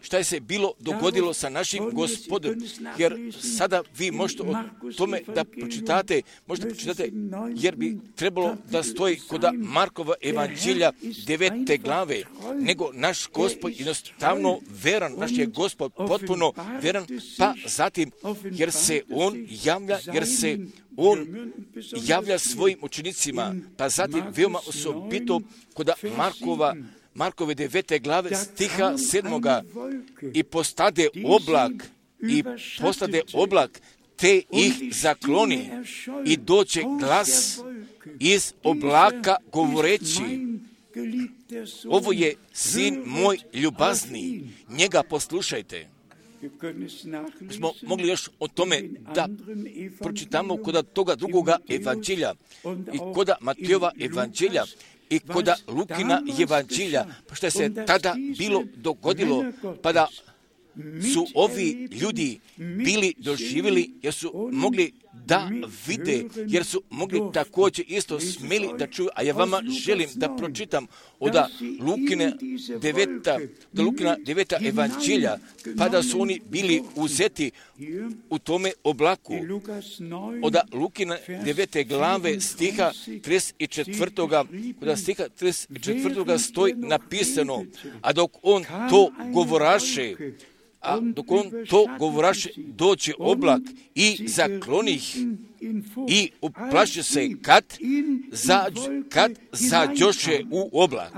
šta je se bilo dogodilo sa našim Gospodom, jer sada vi možete o tome da pročitate, možete pročitate, jer bi trebalo da stoji koda Markova evanđelja devete glave, nego naš Gospod jednostavno veran, naš je Gospod potpuno veran, pa zatim, jer se On javlja, jer se On javlja svojim učenicima, pa zatim veoma osobito koda Markova Markove devete glave stiha sedmoga i postade oblak i postade oblak te ih zakloni i doće glas iz oblaka govoreći, ovo je sin moj ljubazni, njega poslušajte. Smo mogli još o tome da pročitamo koda toga drugoga evanđelja i koda Matejova evanđelja i koda Lukina evanđelja, pa što se tada bilo dogodilo, pa da su ovi ljudi bili doživjeli, jer su mogli da vide, jer su mogli također isto smeli da čuju, a ja vama želim da pročitam od Lukine deveta, do Lukina deveta evanđelja, pa da su oni bili uzeti u tome oblaku. Od Lukina devete glave stiha trideset četvrtoga, kod stiha trideset četvrtoga stoji napisano, a dok on to govoraše, a dok on to govoraše, doće oblak i zakloni ih i uplaši se kad, zađ, kad zađoše u oblak.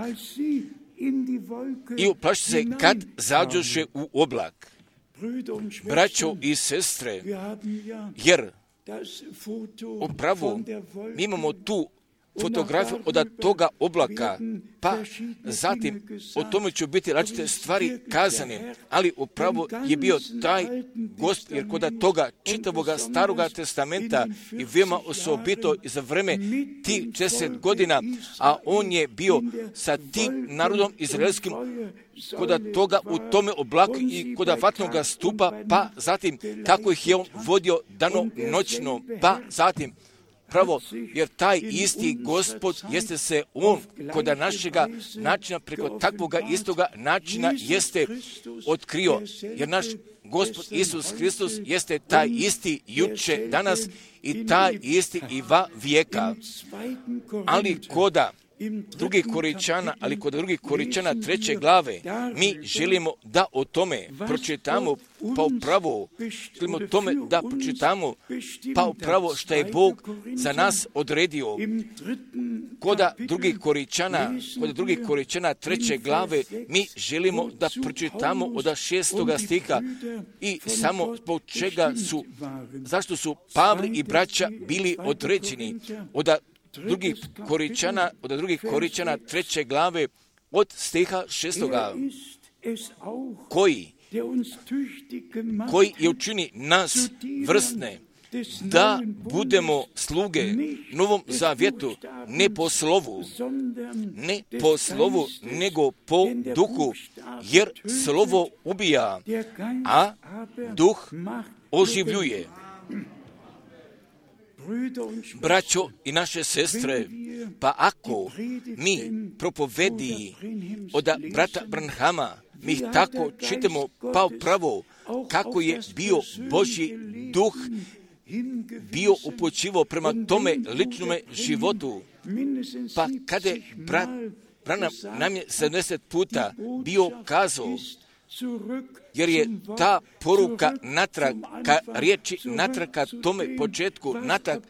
I uplaši se kad zađoše u oblak. Braćo i sestre, jer upravo mi imamo tu fotografiju od toga oblaka, pa zatim o tome će biti različite stvari kazane, ali upravo je bio taj Gospod, jer kod toga čitavoga staroga testamenta i veoma osobito i za vreme tih šezdeset godina, a on je bio sa tim narodom izraelskim kod toga u tome oblaku i kod vatnoga stupa, pa zatim kako ih je on vodio dano noćno, pa zatim pravo, jer taj isti Gospod jeste se on kod našega načina preko takvoga istoga načina jeste otkrio, jer naš Gospod Isus Hristos jeste taj isti juče, danas i taj isti i va vijeka. Ali koda drugih Koričana, ali kod drugih Koričana treće glave, mi želimo da o tome pročitamo, pa upravo želimo o tome da pročitamo, pa upravo što je Bog za nas odredio. Koda drugih Koričana, kod drugih Koričana treće glave, mi želimo da pročitamo od šestoga stiha i samo zbog čega su, zašto su Pavle i braća bili određeni od drugih Koričana, od drugih Koričana treće glave od stiha šestoga, koji, koji je učini nas vrstne, da budemo sluge Novom zavjetu, ne po slovu, ne po slovu, nego po duhu, jer slovo ubija, a duh oživljuje. Braćo i naše sestre, pa ako mi propovedi od brata Branhama, mi tako čitamo pa upravo kako je bio Božji duh bio upućivo prema tome ličnome životu, pa kada je brat Branham nam je sedamdeset puta bio kazao, jer je ta poruka natrag, ka riječi natrag, ka tome početku natrag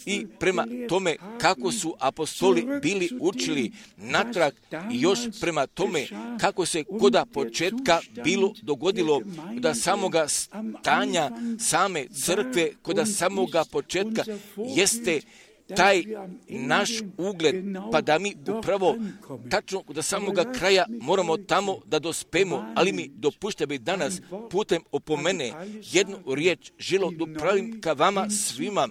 i prema tome kako su apostoli bili učili natrag i još prema tome kako se koda početka bilo dogodilo da samoga stanja same crkve, koda samoga početka jeste taj naš ugled, pa da mi upravo tačno do samoga kraja moramo tamo da dospemo, ali mi dopušte bi danas putem opomene jednu riječ želo dopravim ka vama svima,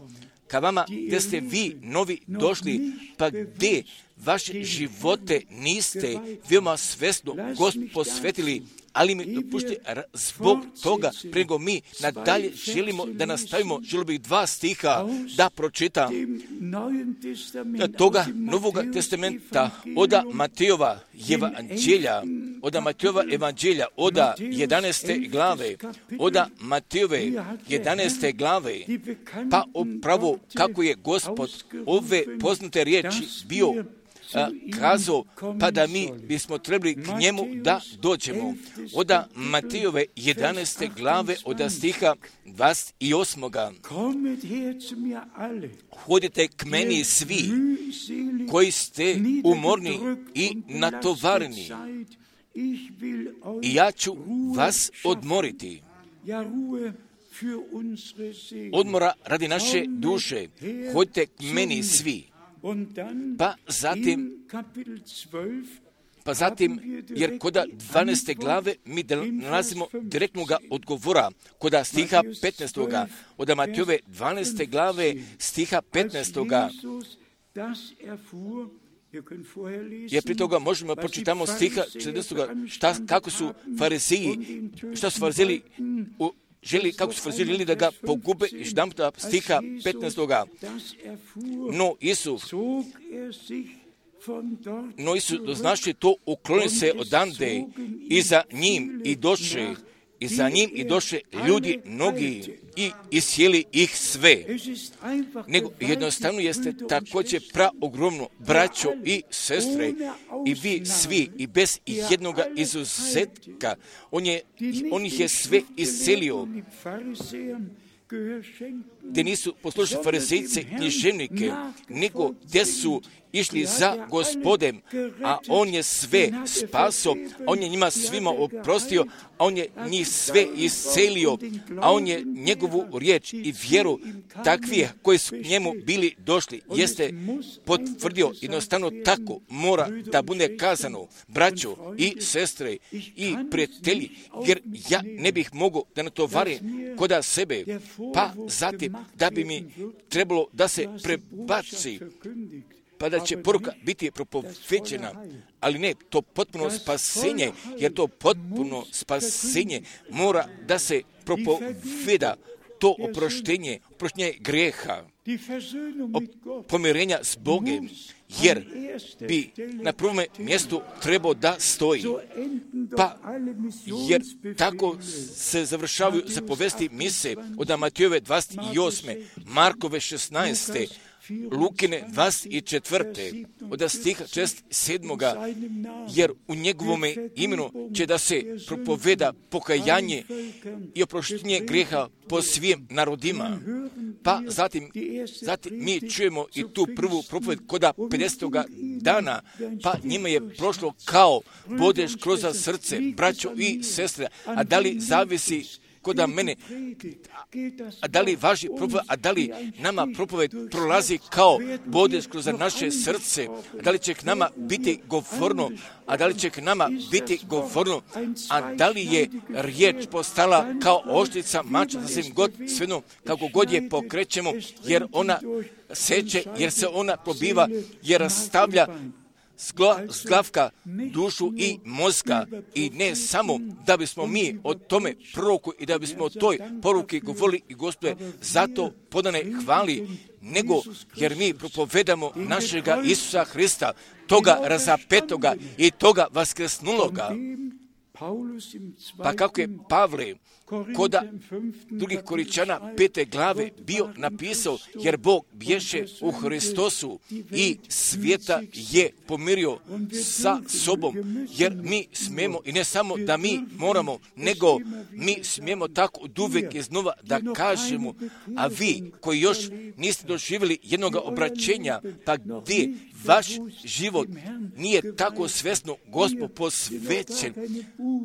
ka vama gdje ste vi novi došli, pa gdje vaše živote niste veoma svesno Gospod posvetili, ali mi dopušte zbog toga prego mi nadalje želimo da nastavimo, želio bih dva stiha da pročitam toga Novoga testamenta oda Matejova evanđelja, oda Matejova evanđelja, oda jedanaeste glave, oda Matejove jedanaeste glave, pa upravo kako je Gospod ove poznate riječi bio A, kazao, pa da mi bismo trebali k njemu da dođemo. Oda Matejove jedanaeste glave, oda stiha dvadeset osam. Hodite k meni svi koji ste umorni i natovareni i ja ću vas odmoriti. Odmora radi naše duše. Hodite k meni svi. Pa zatim, pa zatim, jer koda dvanaeste glave mi nalazimo direktnoga odgovora, koda stiha petnaestoga, od Matejove dvanaeste glave stiha petnaestoga, jer pri toga možemo pročitamo stiha četrnaestoga, šta, kako su fariziji, šta su farizili u želi, kako su farizili da ga pogube, i štamta stiha petnaestoga. No Isus, no Isus doznaši to, ukloni se odande i za njim i doše, i za njim i doše ljudi mnogi i isjeli ih sve. Nego jednostavno jeste također praogromno, braćo i sestre, i vi svi, i bez jednoga izuzetka, on, je, on ih je sve iscelio, gdje nisu poslušali farizejce, književnike, nego gdje su išli za Gospodem, a on je sve spaso, on je njima svima oprostio, a on je njih sve iscelio, a on je njegovu riječ i vjeru takvih koji su njemu bili došli, jeste potvrdio. Jednostavno tako mora da bude kazano, braćo i sestre i prijatelji, jer ja ne bih mogao da natovarim koda sebe, pa zatim da bi mi trebalo da se prebaci, pa da će poruka biti propovećena, ali ne, to potpuno spasenje, jer to potpuno spasenje mora da se propoveda, to oproštenje, oproštenje grijeha, pomirenja s Bogom, jer bi na prvom mjestu trebao da stoji. Pa, jer tako se završavaju zapovesti mise od Matejove dvadeset osme, Markove šesnaeste, Lukine dvadeset četvrte, od stiha šezdeset sedmoga, jer u njegovome imenu će da se propoveda pokajanje i oproštenje grijeha po svim narodima. Pa zatim, zatim mi čujemo i tu prvu propoved koda pedesetoga dana, pa njima je prošlo kao bodeš kroz srce, braćo i sestre, a da li zavisi koda mene, a da li važi propoved, a da li nama propoved prolazi kao bodeš kroz naše srce, a da li će k nama biti govorno, a da li će k nama biti govorno, a da li je riječ postala kao oštrica mača, sasvim god svejedno, kako god je pokrećemo, jer ona seče, jer se ona probiva, jer rastavlja zglavka, dušu i mozga, i ne samo da bismo mi o tome proroku i da bismo o toj poruki govorili i Gospode zato podane hvali, nego jer mi propovedamo našega Isusa Hrista, toga razapetoga i toga vaskresnuloga, Pa kako je Pavle koda drugih Korinčana pete glave bio napisao, jer Bog bješe u Hristosu i svijeta je pomirio sa sobom, jer mi smijemo, i ne samo da mi moramo, nego mi smijemo tako od uvijek iznova da kažemo, a vi koji još niste doživjeli jednog obraćenja, pa gdje vaš život nije tako svjesno Gospod posvećen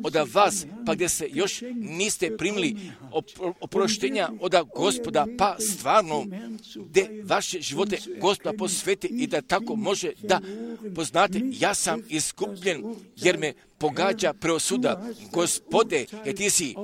od vas, pa gdje se još niste primili oproštenja od Gospoda, pa stvarno gdje vaše živote Gospoda posveti i da tako može da poznate, ja sam iskupljen jer me pogađa preosuda. Gospode, jer ti si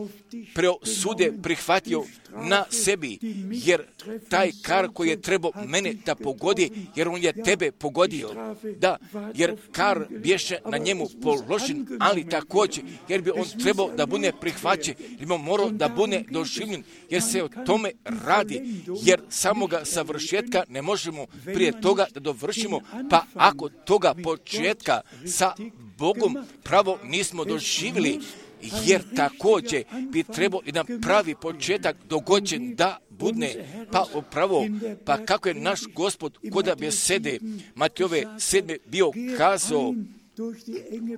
preosude prihvatio na sebi, jer taj kar koji je trebao mene da pogodi, jer on je tebe pogodio. Da, jer kar bješe na njemu položen, ali također, jer bi on trebao da bude prihvaćen, jer bi on morao da bude doživljen, jer se o tome radi, jer samoga savršetka ne možemo prije toga da dovršimo, pa ako toga početka sa Bogom pravo nismo doživjeli, jer također bi trebao jedan pravi početak dogođen da budne, pa upravo, pa kako je naš Gospod koda besede Matejove sedme bio kazao,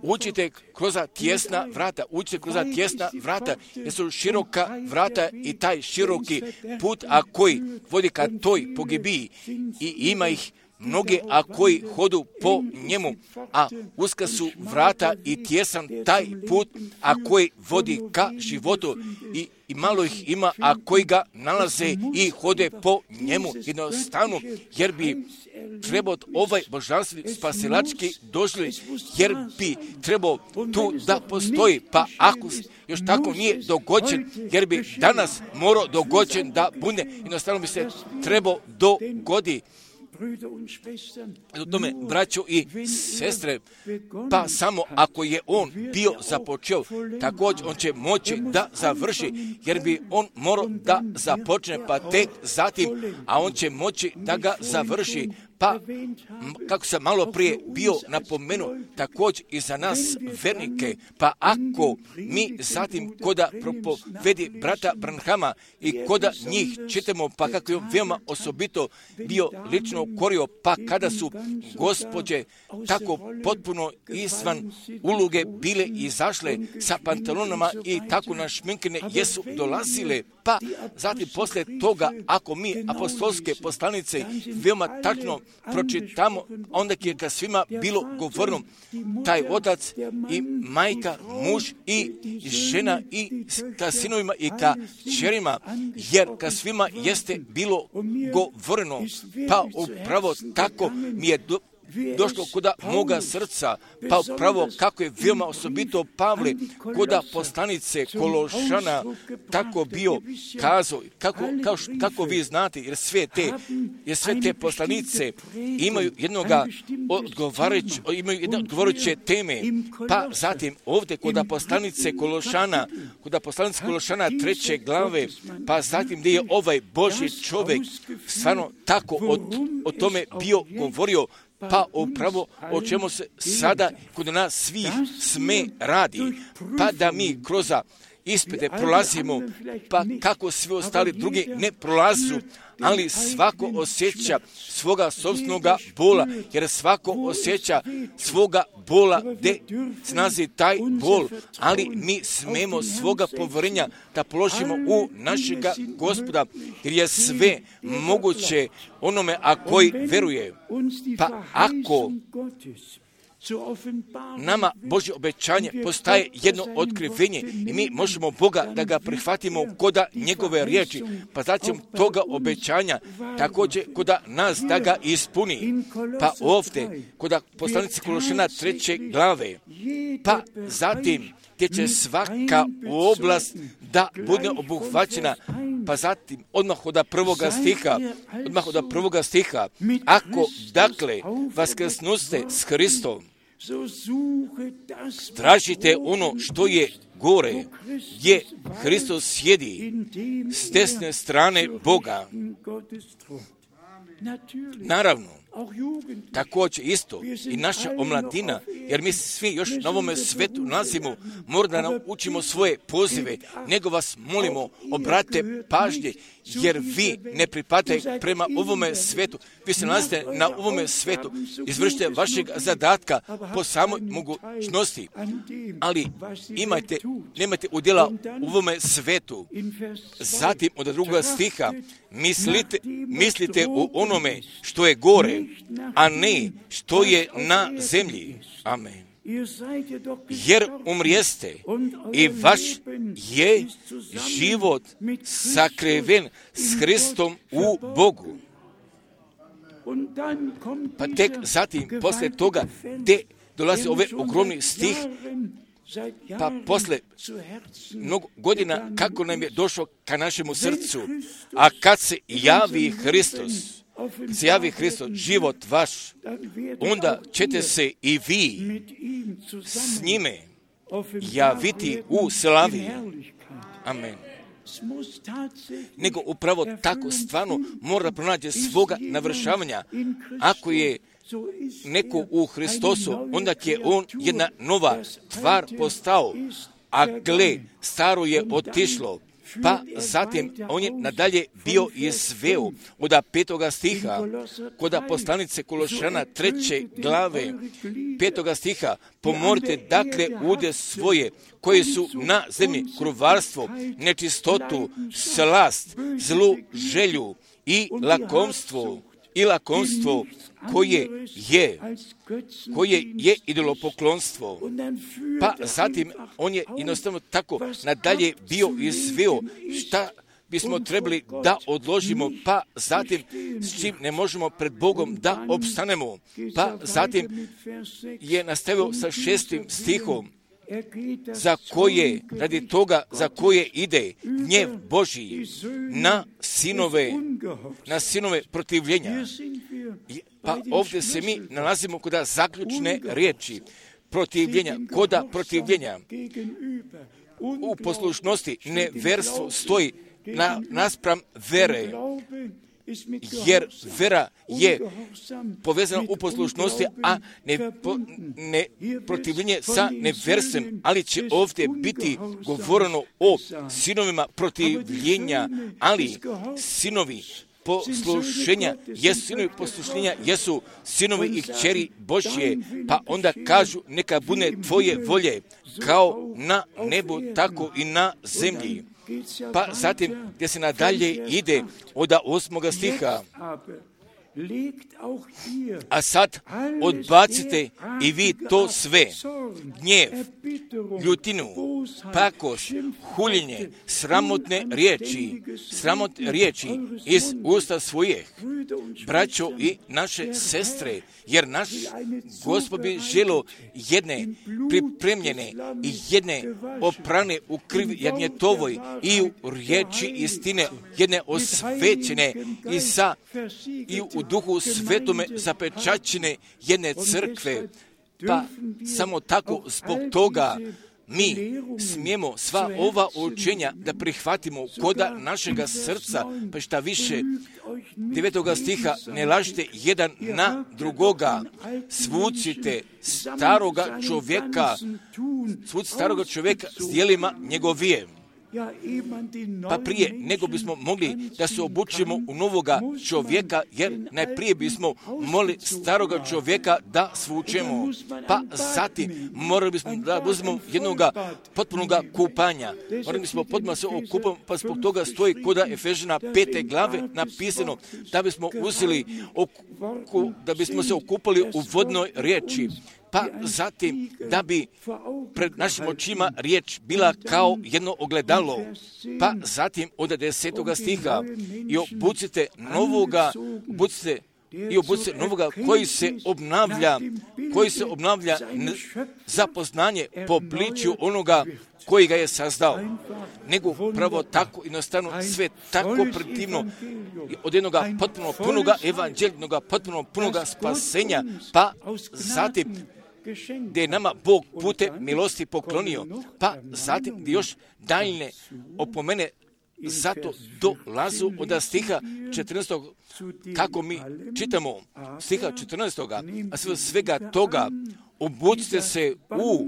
učite kroz tjesna vrata, učite kroz tjesna vrata, jer su široka vrata i taj široki put, a koji vodi ka toj pogibiji, i ima ih mnoge, a koji hodu po njemu, a uska su vrata i tjesan taj put, a koji vodi ka životu, i, i malo ih ima, a koji ga nalaze i hode po njemu jednostavno, jer bi trebao ovaj božanstveni spasilački doživljaj, jer bi trebao tu da postoji, pa ako još tako nije dogođen, jer bi danas morao dogođen da bude, jednostavno bi se trebao dogodi. U tome, braćo i sestre, pa samo ako je on bio započeo, također on će moći da završi, jer bi on morao da započne, pa tek zatim, a on će moći da ga završi. Pa, kako sam malo prije bio napomenuo, također i za nas vernike, pa ako mi zatim koda propovedi brata Branhama i koda njih čitamo, pa kako je on veoma osobito bio lično korio, pa kada su gospođe tako potpuno izvan uloge bile izašle sa pantalonama i tako našminkane jesu dolazile, pa zatim poslije toga, ako mi apostolske poslanice veoma tačno pročitamo, onda je ka svima bilo govorno, taj otac i majka, muž i žena i ka sinovima i ka čerima, jer ka svima jeste bilo govoreno, pa upravo tako mi je do, došlo kuda moga srca, pa upravo kako je veoma osobito Pavle kuda poslanice Kološana tako bio kazao, kako, kao, kako vi znate, jer sve te, jer sve te poslanice imaju jednoga odgovarajuće, imaju jedne odgovarajuće teme, pa zatim ovdje kuda poslanice Kološana, kuda poslanice Kološana treće glave, pa zatim gdje je ovaj Božji čovjek stvarno tako o, o tome bio govorio, pa upravo o čemu se sada kod nas svih sme radi, pa da mi kroz ispite prolazimo, pa kako svi ostali drugi ne prolazu, ali svako osjeća svoga sobstvenoga bola, jer svako osjeća svoga bola gdje snazi taj bol, ali mi smemo svoga povjerenja da položimo u našega Gospoda, jer je sve moguće onome a koji veruje. Pa ako nama Božje obećanje postaje jedno otkrivenje i mi možemo Boga da ga prihvatimo koda njegove riječi, pa zatim toga obećanja također koda nas da ga ispuni. Pa ovdje koda poslanice Kološana treće glave, pa zatim gdje će svaka oblast da bude obuhvaćena, pa zatim odmah od prvoga stiha, odmah od prvoga stiha, ako dakle vaskrsnuste s Hristom, tražite ono što je gore, gdje Hristos sjedi s desne strane Boga. Naravno, Također isto i naša omladina, jer mi svi još na ovome svetu nalazimo, mora da naučimo svoje pozive, nego vas molimo, obratite pažnje, jer vi ne pripadate prema ovome svetu. Vi se nalazite na ovome svetu, izvršite vašeg zadatka po samoj mogućnosti, ali imajte, nemajte udjela u ovome svetu. Zatim od drugoga stiha, mislite, mislite u onome što je gore, a ne što je na zemlji. Amen. Jer umrijeste i vaš je život sakriven s Hristom u Bogu. Pa tek zatim, poslije toga, gdje dolazi ovaj ogromni stih, pa posle mnogo godina kako nam je došlo ka našemu srcu, a kad se javi Hristos, kad se javi Hristos, život vaš, onda ćete se i vi s njime javiti u slavi. Amen. Nego upravo tako stvarno mora pronaći svoga navršavanja. Ako je neko u Hristosu, onda je on jedna nova tvar postao, a gle, staro je otišlo. Pa zatim on je nadalje bio izveo od petoga stiha, kod poslanice Kološana treće glave, petoga stiha, pomorite dakle ude svoje, koji su na zemlji kruvarstvo, nečistotu, slast, zlu želju i lakomstvo, i lakomstvo koje je, koje je idolopoklonstvo. Pa zatim on je jednostavno tako nadalje bio izveo šta bismo trebali da odložimo, pa zatim s čim ne možemo pred Bogom da opstanemo. Pa zatim je nastavio sa šestim stihom, za koje, radi toga za koje ide gnjev Božji na sinove, na sinove protivljenja. Pa ovdje se mi nalazimo kod zaključne riječi protivljenja, koda protivljenja. U poslušnosti neverstvo stoji na, naspram vere, jer vera je povezana u poslušnosti, a ne, po, ne protivljenje sa neverstvom, ali će ovdje biti govoreno o sinovima protivljenja, ali sinovi poslušenja jesu sinovi poslušenja, jesu sinovi i kćeri Božje, pa onda kažu neka bude tvoje volje kao na nebu, tako i na zemlji. Pa zatim gdje se nadalje ide od osmoga stiha, a sad odbacite i vi to sve, gnjev, ljutinu, pakoš, huljenje, sramotne riječi, sramotne riječi iz usta svojih, braćo i naše sestre, jer naš Gospod bi želio jedne pripremljene i jedne oprane u krvi jagnjetovoj i u riječi istine, jedne osvećene i sa i u duhu svetome zapečaćene jedne crkve. Pa samo tako zbog toga mi smijemo sva ova učenja da prihvatimo koda našega srca, pa šta više, devetoga stiha, ne lažite jedan na drugoga, svucite staroga čovjeka, svucite staroga čovjeka s dijelima njegovije. Pa prije nego bismo mogli da se obučimo u novoga čovjeka, jer najprije bismo mogli staroga čovjeka da svučemo. Pa zatim morali bismo da uzmemo jednoga potpunoga kupanja. Morali bismo potpuno se okupati, pa zbog toga stoji koda Efežana pete glave napisano da bismo uzeli, oku, da bismo se okupali u vodnoj riječi. Pa zatim da bi pred našim očima riječ bila kao jedno ogledalo. Pa zatim od desetoga stiha i obucite novoga, obucite i obucite novoga koji se obnavlja, koji se obnavlja za poznanje po pliću onoga koji ga je sazdao. Nego pravo tako jednostavno sve tako predivno od jednoga potpuno punoga evanđeljnoga, potpuno punoga spasenja, pa zatim gdje je nama Bog putem milosti poklonio, pa zatim gdje još daljne opomene zato dolazu od stiha četrnaestog, kako mi čitamo stiha četrnaestog, a sve svega toga obucite se u,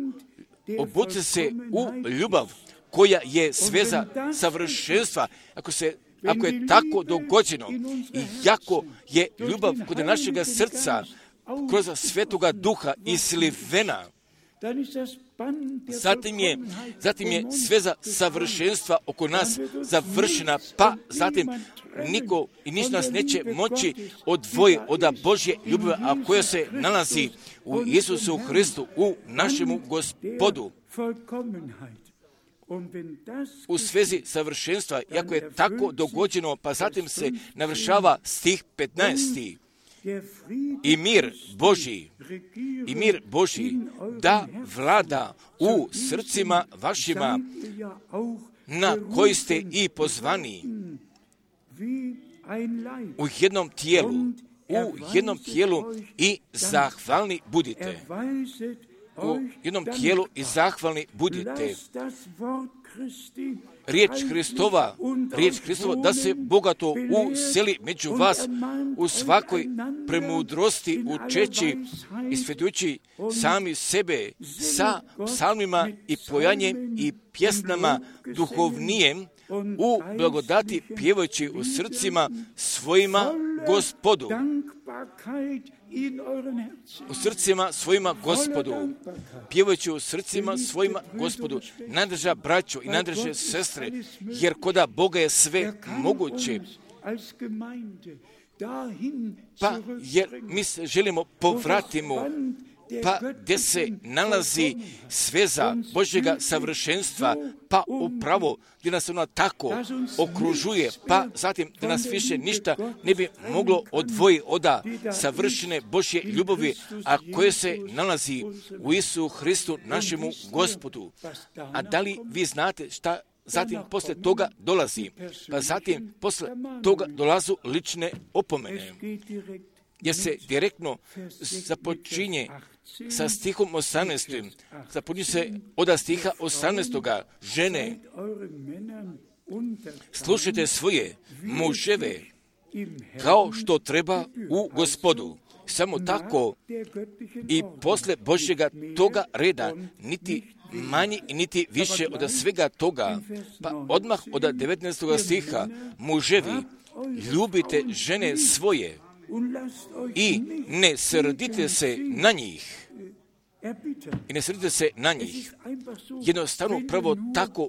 obucite se u ljubav, koja je sveza savršenstva. Ako se Ako je tako dogođeno i jako je ljubav kod našega srca kroz Svetoga Duha islivena, zatim je, zatim je sveza savršenstva oko nas završena, pa zatim niko i ništa nas neće moći odvoji od Božje ljubavi, a koja se nalazi u Isusu Hristu, u našemu Gospodu. U svezi savršenstva, iako je tako dogođeno, pa zatim se navršava stih petnaesti. I mir Božji, i mir Božji da vlada u srcima vašima, na koji ste i pozvani u jednom tijelu, u jednom tijelu i zahvalni budite. U jednom tijelu i zahvalni budite. Riječ Hristova, riječ Hristova da se bogato useli među vas u svakoj premudrosti učeći i svetujući sami sebe sa psalmima i pojanjem i pjesnama duhovnijem u blagodati pjevajući u srcima svojima Gospodu. U srcima svojima Gospodu, pjevajući u srcima svojima Gospodu, najdrža braćo i najdrže sestre, jer koda Boga je sve moguće. Pa jer mi se želimo povratimo, pa gdje se nalazi sveza Božjega savršenstva, pa upravo gdje nas ona tako okružuje, pa zatim da nas više ništa ne bi moglo odvojiti od savršene Božje ljubavi, a koje se nalazi u Isusu Hristu našemu Gospodu. A da li vi znate šta zatim posle toga dolazi? Pa zatim posle toga dolazu lične opomene, jer se direktno započinje sa stihom osamnaestim. Započinje se od stiha osamnaestoga. Žene, slušajte svoje muževe kao što treba u Gospodu. Samo tako i posle Božjega toga reda, niti manji i niti više od svega toga. Pa odmah od devetnaestog stiha, muževi, ljubite žene svoje i ne srdite se na njih. I ne srdite se na njih. Jednostavno pravo tako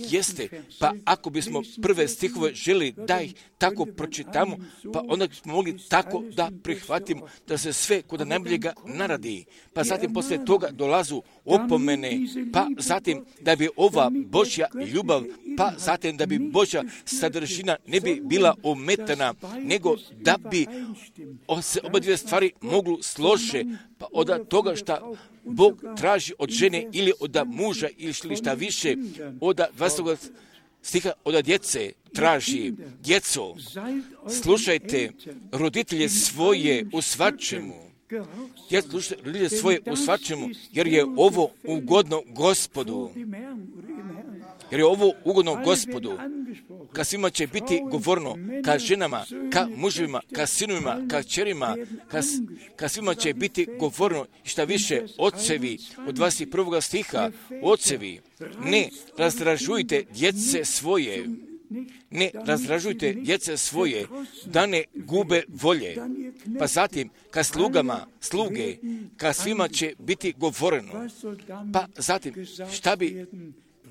jeste. Pa ako bismo prve stihove želi da ih tako pročitamo, pa onda bismo mogli tako da prihvatimo da se sve kod najboljega naradi. Pa zatim posle toga dolazu opomene, pa zatim da bi ova Božja ljubav, pa zatim da bi Božja sadržina ne bi bila ometana, nego da bi se oba dvije stvari moglu slože, pa od toga što Bog traži od žene ili od muža ili šta više, od dvadesetog stiha od djece traži. Djeco, slušajte roditelje svoje u svačemu. Djeco, slušajte roditelje svoje u svačemu, jer je ovo ugodno Gospodu. Jer je ovo ugodno Gospodu. Ka svima će biti govorno, ka ženama, ka muževima, ka sinovima, ka kćerima, ka, ka svima će biti govorno, šta više, ocevi, od dvadeset prvog stiha, ocevi, ne razdražujte djece svoje, ne razdražujte djece svoje, da ne gube volje. Pa zatim, ka slugama, sluge, ka svima će biti govoreno. Pa zatim, šta bi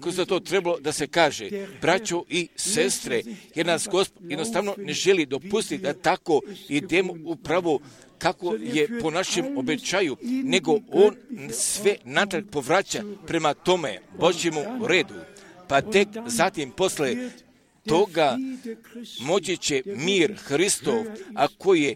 kroz to trebalo da se kaže, braćo i sestre, jer nas Gospod jednostavno ne želi dopustiti da tako idemo upravo kako je po našem običaju, nego On sve natrag povraća prema tome Božjemu redu. Pa tek zatim posle toga moći će mir Hristov, a koji je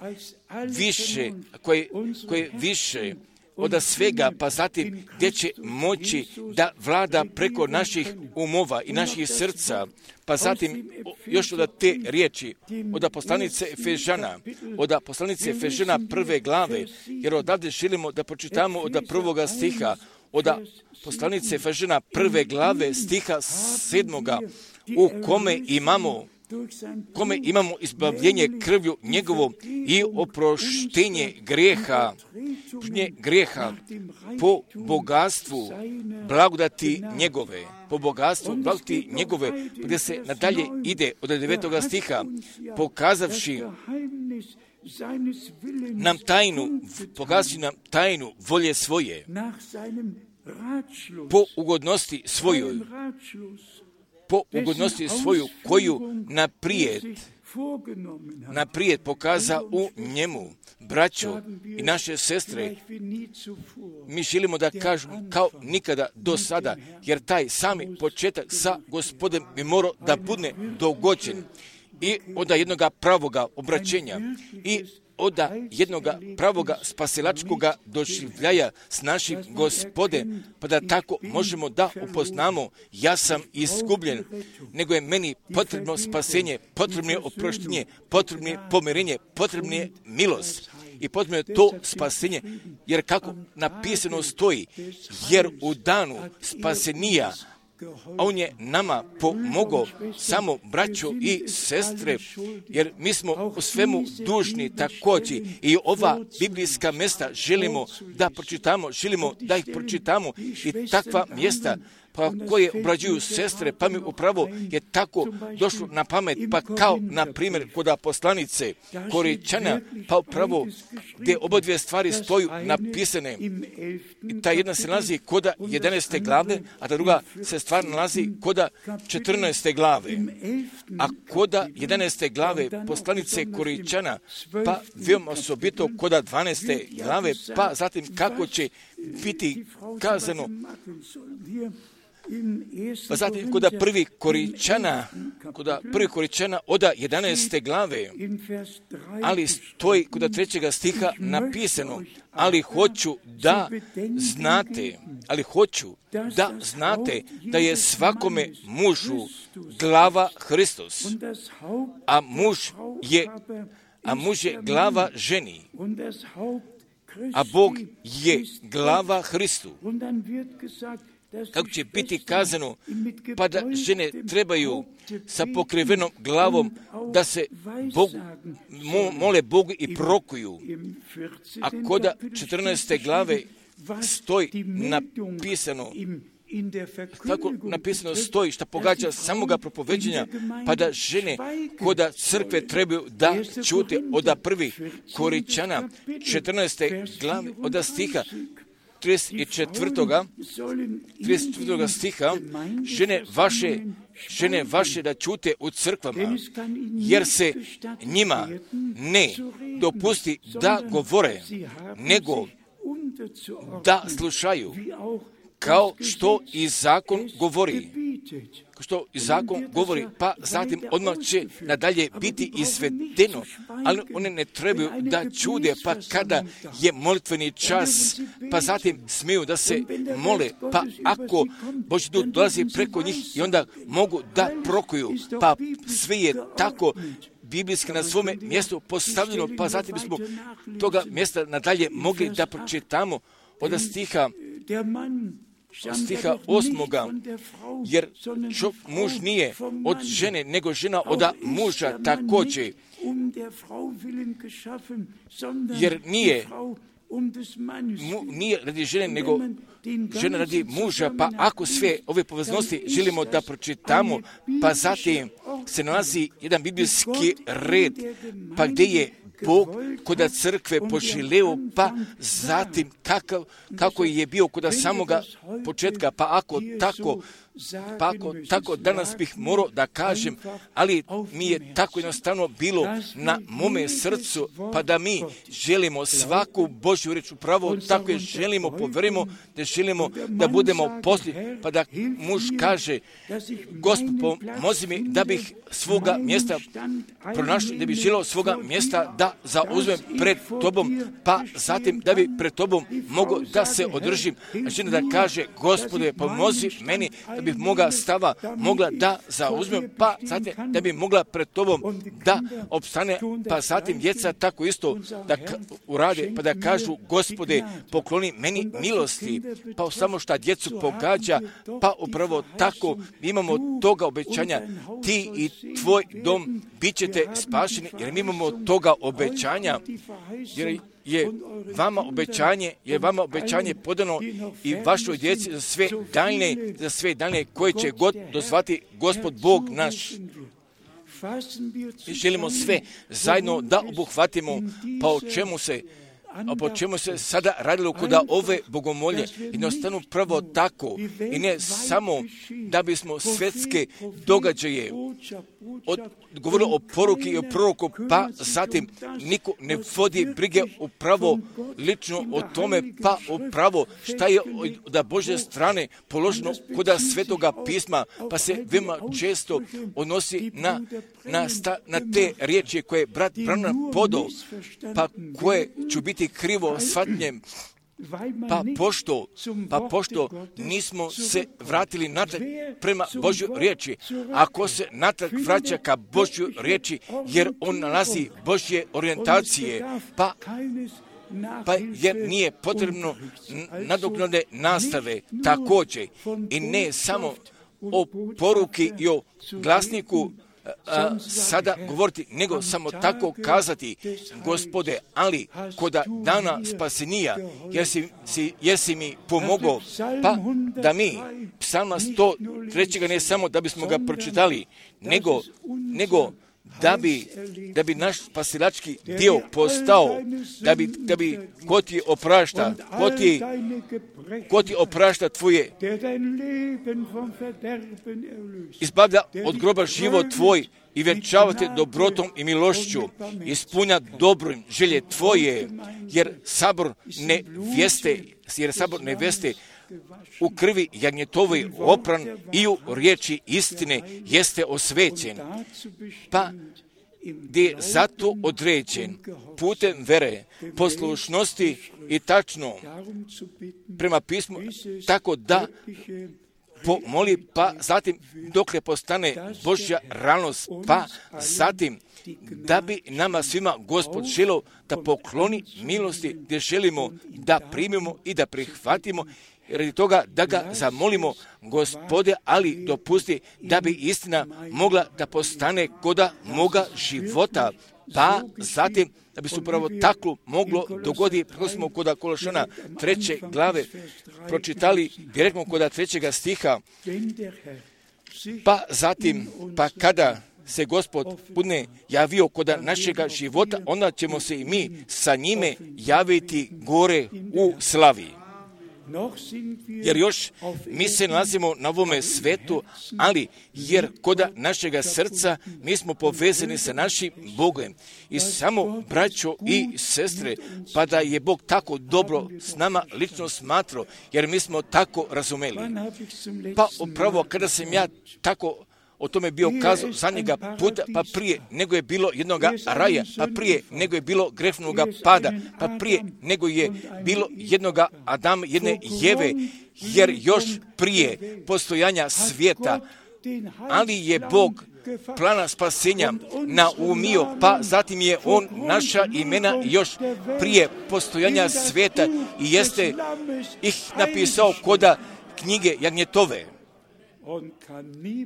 više, koji, koji je više od svega, pa zatim gdje će moći da vlada preko naših umova i naših srca, pa zatim još od te riječi, od poslanice Efežana, od poslanice Efežana prve glave, jer odavde želimo da pročitamo od prvoga stiha, od poslanice Efežana prve glave stiha sedmoga, u kome imamo kome imamo izbavljenje krvlju njegovom i oproštenje grijeha, grijeha po bogatstvu blagodati njegove, po bogatstvu blagodati njegove, gdje se nadalje ide od devetoga stiha, pokazavši nam tajnu, pokazavši nam tajnu volje svoje, po ugodnosti svojoj, po ugodnosti svoju, koju naprijed, naprijed pokaza u njemu. Braćo i naše sestre, mi želimo da kažemo kao nikada do sada, jer taj sami početak sa Gospodem bi morao da bude dogođen i od jednoga pravoga obraćenja i od jednoga pravoga spasilačkoga doživljaja s našim Gospodem, pa da tako možemo da upoznamo ja sam izgubljen, nego je meni potrebno spasenje, potrebno je oproštenje, potrebno je pomirenje, potrebno je milost i potrebno je to spasenje, jer kako napisano stoji, jer u danu spasenija on je nama pomogao, samo braćo i sestre, jer mi smo u svemu dužni također i ova biblijska mjesta želimo da pročitamo, želimo da ih pročitamo i takva mjesta pa koje obrađuju sestre, pa mi upravo je tako došlo na pamet, pa kao na primjer kod poslanice Koričana, pa upravo gdje oba dvije stvari stoju napisane. I ta jedna se nalazi kod jedanaeste glave, a ta druga se stvar nalazi kod četrnaeste glave. A kod jedanaeste glave poslanice Koričana, pa veoma osobito kod dvanaeste glave, pa zatim kako će biti kazano. Pa zatim kod prvi Koričana, kod prvi Koričana od jedanaeste glave, ali stoji kod trećega stiha napisano, ali hoću da znate, ali hoću da znate da je svakome mužu glava Hristos, a muž je, a muž je glava ženi, a Bog je glava Hristu. Kako će biti kazano, pa da žene trebaju sa pokrivenom glavom da se Bog, mo, mole Bogu i prokuju. A kod četrnaeste glave stoji napisano, kako napisano stoji, što pogađa samoga propoveđenja, pa da žene kod crkve trebaju da čute od prvih Koričana, četrnaeste glave, od stiha, trideset četvrtoga trideset četvrtoga stiha, žene vaše, žene vaše da čute u crkvama, jer se njima ne dopusti da govore, nego da slušaju, kao što i zakon govori. Što i zakon govori, pa zatim odmah će nadalje biti izvedeno, ali one ne trebaju da čude, pa kada je molitveni čas, pa zatim smiju da se mole, pa ako Božji duh dolazi preko njih i onda mogu da prokuju, pa sve je tako biblijski na svome mjestu postavljeno, pa zatim smo toga mjesta nadalje mogli da pročitamo od stiha stiha osmoga, jer čo, muž nije od žene, nego žena od muža također, jer nije, mu, nije radi žene, nego žena radi muža, pa ako sve ove poveznosti želimo da pročitamo, pa zatim se nalazi jedan biblijski red, pa gdje je Bog kod crkve poželeo, pa zatim kakav, kako je bio kod samoga početka, pa ako tako, pa ako tako danas bih morao da kažem, ali mi je tako jednostavno bilo na mome srcu, pa da mi želimo svaku Božju riječ upravo, tako je želimo, povjerimo, da želimo da budemo poslije, pa da muž kaže, Gospod, pomozi mi da bih svoga mjesta pronašao, da bih želio svoga mjesta da zauzmem pred tobom, pa zatim da bi pred tobom mogao da se održim, a žena da kaže, Gospode, pomozi meni da da bi moga stava mogla da zauzme, pa zatim da bi mogla pred tobom da opstane, pa zatim djeca tako isto da ka- urade, pa da kažu Gospode, pokloni meni milosti, pa samo šta djecu pogađa, pa upravo tako imamo toga obećanja, ti i tvoj dom bit ćete spašeni, jer mi imamo toga obećanja, jer je vama obećanje, je vama obećanje podano i vašoj djeci za sve daljne, za sve daljne koje će god dozvati Gospod Bog naš. Mi želimo sve zajedno da obuhvatimo, pa o čemu se A po čemu se sada radilo kod ove bogomolje, jednostavno prvo tako i ne samo da bismo svjetske događaje od, govorilo o poruki i o proroku, pa zatim niko ne vodi brige upravo lično o tome, pa upravo šta je da Božje strane položeno kod svetoga pisma, pa se veoma često odnosi na, na, sta, na te riječi koje je brat Branham podao, pa koje ću biti krivo shvatnjem, pa pošto, pa pošto nismo se vratili natrag prema Božjoj riječi, ako se natrag vraća ka Božjoj riječi, jer on nalazi Božje orijentacije, pa pa jer nije potrebno nadoknade nastave također i ne samo o poruki i o glasniku A, sada govoriti, nego samo tako kazati, Gospode, ali koda dana spasenija, jesi, si, jesi mi pomogao, pa da mi psalma sto tri ne samo da bismo ga pročitali, nego, nego da bi, da bi naš spasilački dio postao, da bi, da bi ko ti oprašta, ko ti, ko ti oprašta tvoje, izbavlja od groba život tvoj i vjenčavate dobrotom i milošću, ispunja dobrim želje tvoje, jer sabor nevjeste, jer sabor nevjeste u krvi jagnjetovoj opran i u riječi istine jeste osvećen, pa gdje je zato određen putem vere, poslušnosti i tačno prema pismu, tako da pomoli, pa zatim dokle postane Božja realnost, pa zatim da bi nama svima Gospod želio da pokloni milosti gdje želimo da primimo i da prihvatimo, radi toga da ga zamolimo, Gospode, ali dopusti da bi istina mogla da postane koda moga života, pa zatim da bi se upravo tako moglo dogoditi, kako smo kod Kološana treće glave pročitali direktno kod trećega stiha, pa zatim, pa kada se Gospod bude javio kod našega života, onda ćemo se i mi sa njime javiti gore u slavi. Jer još mi se nalazimo na ovome svetu, ali jer kod našega srca mi smo povezani sa našim Bogom. I samo, braćo i sestre, pa da je Bog tako dobro s nama lično smatrao, jer mi smo tako razumeli. Pa upravo kada sam ja tako o tome bio kazao zadnjega puta, pa prije nego je bilo jednoga raja, pa prije nego je bilo grešnoga pada, pa prije nego je bilo jednoga Adama, jedne Jeve, jer još prije postojanja svijeta, ali je Bog plana spasenja naumio, pa zatim je on naša imena još prije postojanja svijeta i jeste ih napisao koda knjige jagnjetove.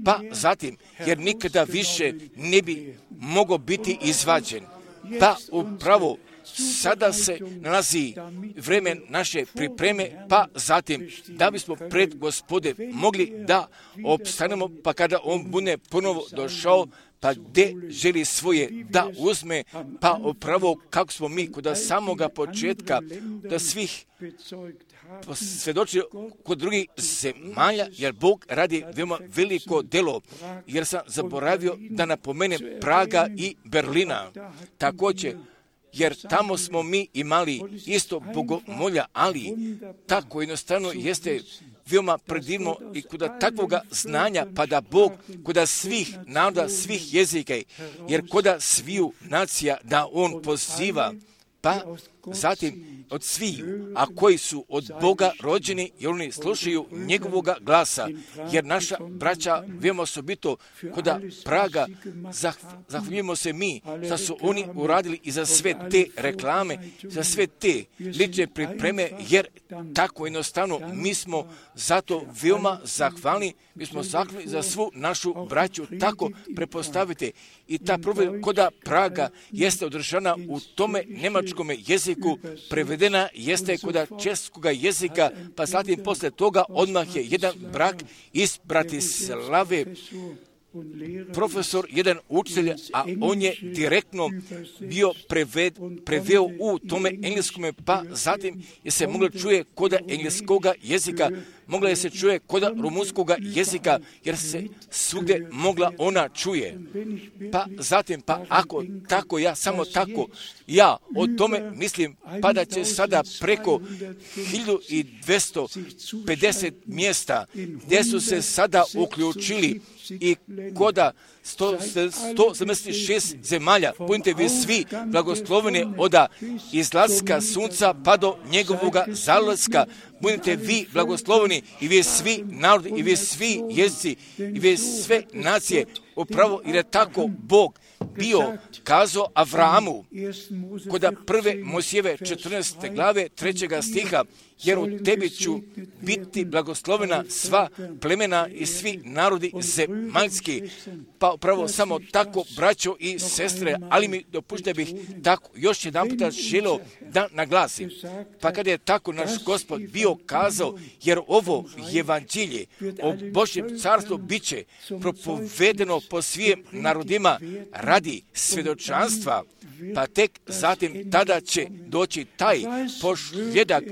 Pa zatim, jer nikada više ne bi mogao biti izvađen. Pa upravo sada se nalazi vreme naše pripreme, pa zatim da bismo pred Gospode mogli da opstanemo, pa kada on bude ponovo došao, pa gdje želi svoje da uzme, pa upravo kako smo mi kod samoga početka, da svih svjedoči kod drugih zemalja, jer Bog radi veoma veliko delo, jer sam zaboravio da napomenem Praga i Berlina. Također, jer tamo smo mi imali isto bogomolja, ali tako jednostavno jeste veoma predivno i kod takvoga znanja, pa da Bog kod svih naroda, svih jezika, jer kod sviju nacija da On poziva, pa zatim od svih, a koji su od Boga rođeni, jer oni slušaju njegovoga glasa, jer naša braća, vijemo osobito koda Praga, zahvaljujemo se mi, da su oni uradili i za sve te reklame, za sve te lične pripreme, jer tako jednostavno mi smo zato veoma zahvalni, mi smo zahvalni za svu našu braću, tako prepostavite. I ta provedba koda Praga jeste održana u tome njemačkom jeziku, prevedena jeste koda českoga jezika, pa zatim posle toga odmah je jedan brak iz Bratislave, profesor, jedan učitelj, a on je direktno bio preved, preveo u tome engleskome, pa zatim je se moglo čuje koda engleskoga jezika, mogla je se čuje koda rumunskoga jezika, jer se svugdje mogla ona čuje. Pa zatim, pa ako tako ja, samo tako, ja o tome mislim, pa da će sada preko hiljadu dvjesto pedeset mjesta, gdje su se sada uključili i koda sto sedamdeset šest zemalja, budite vi svi blagosloveni od izlaska sunca pa do njegovoga zalaska, budite vi blagosloveni i vi svi narodi, i vi svi jezici, i vi sve nacije, upravo jer je tako Bog bio kazao Avrahamu koda prve Mojsijeve četrnaeste glave trećega stiha, jer u tebi ću biti blagoslovena sva plemena i svi narodi zemaljski. Pa upravo samo tako, braćo i sestre, ali mi dopušte bih tako još jedan puta želio da naglasim. Pa kada je tako naš Gospod bio kazao, jer ovo evanđelje o Božjem carstvu bit će propovedeno po svim narodima radi svjedočanstva, pa tek zatim tada će doći taj posljedak.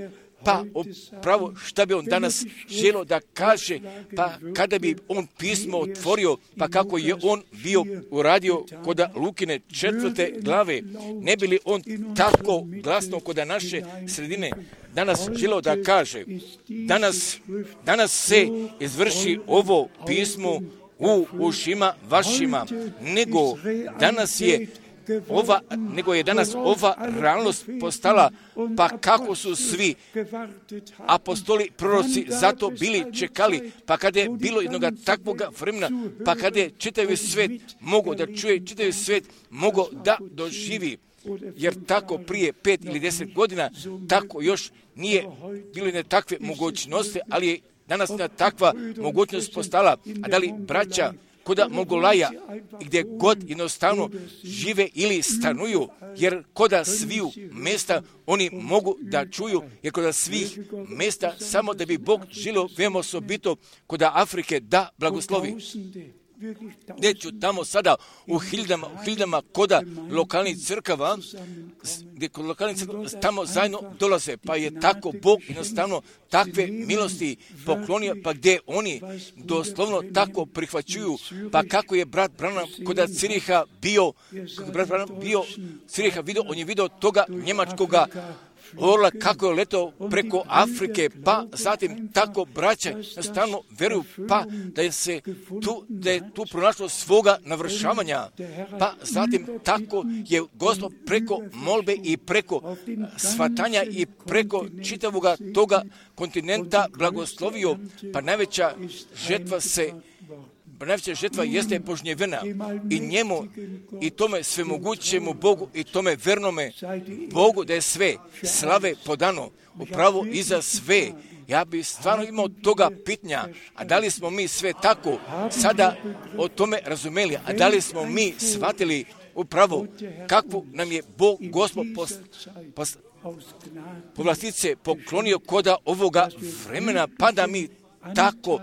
Pa upravo šta bi on danas želio da kaže, pa kada bi on pismo otvorio, pa kako je on bio uradio koda Lukine četvrte glave, ne bi li on tako glasno koda naše sredine danas želio da kaže, danas, danas se izvrši ovo pismo u ušima vašima, nego danas je Ova, nego je danas ova realnost postala, pa kako su svi apostoli, proroci zato bili čekali, pa kada je bilo jednoga takvoga vremena, pa kada je čitavi svet mogao da čuje, čitavi svet mogao da doživi, jer tako prije pet ili deset godina, tako još nije bilo jedne takve mogućnosti, ali je danas takva mogućnost postala. A da li braća koda Mogolaja, gdje god jednostavno žive ili stanuju, jer koda sviju mjesta oni mogu da čuju, jer koda svih mjesta samo da bi Bog želio veoma osobito koda Afrike da blagoslovi. Neću tamo sada u hiljadama, u hiljadama koda lokalnih crkava, gdje kod lokalnih crkava tamo zajedno dolaze, pa je tako Bog jednostavno takve milosti poklonio, pa gdje oni doslovno tako prihvaćuju, pa kako je brat Branham koda Ciriha bio, kako brat Branham bio Ciriha vidio, on je vidio toga njemačkoga orla kako je letao preko Afrike, pa zatim tako braća stalno veruju, pa da je se tu, da je tu pronašlo svoga navršavanja, pa zatim tako je Gospod preko molbe i preko svatanja i preko čitavoga toga kontinenta blagoslovio, pa najveća žetva se najveća žetva jeste požnjevena i njemu i tome svemogućemu Bogu i tome vernome Bogu da je sve slave podano upravo i za sve. Ja bi stvarno imao toga pitanja, a da li smo mi sve tako sada o tome razumeli, a da li smo mi shvatili upravo kakvu nam je Bog Gospod pos, pos, povlastice poklonio koda ovoga vremena, pa da mi tako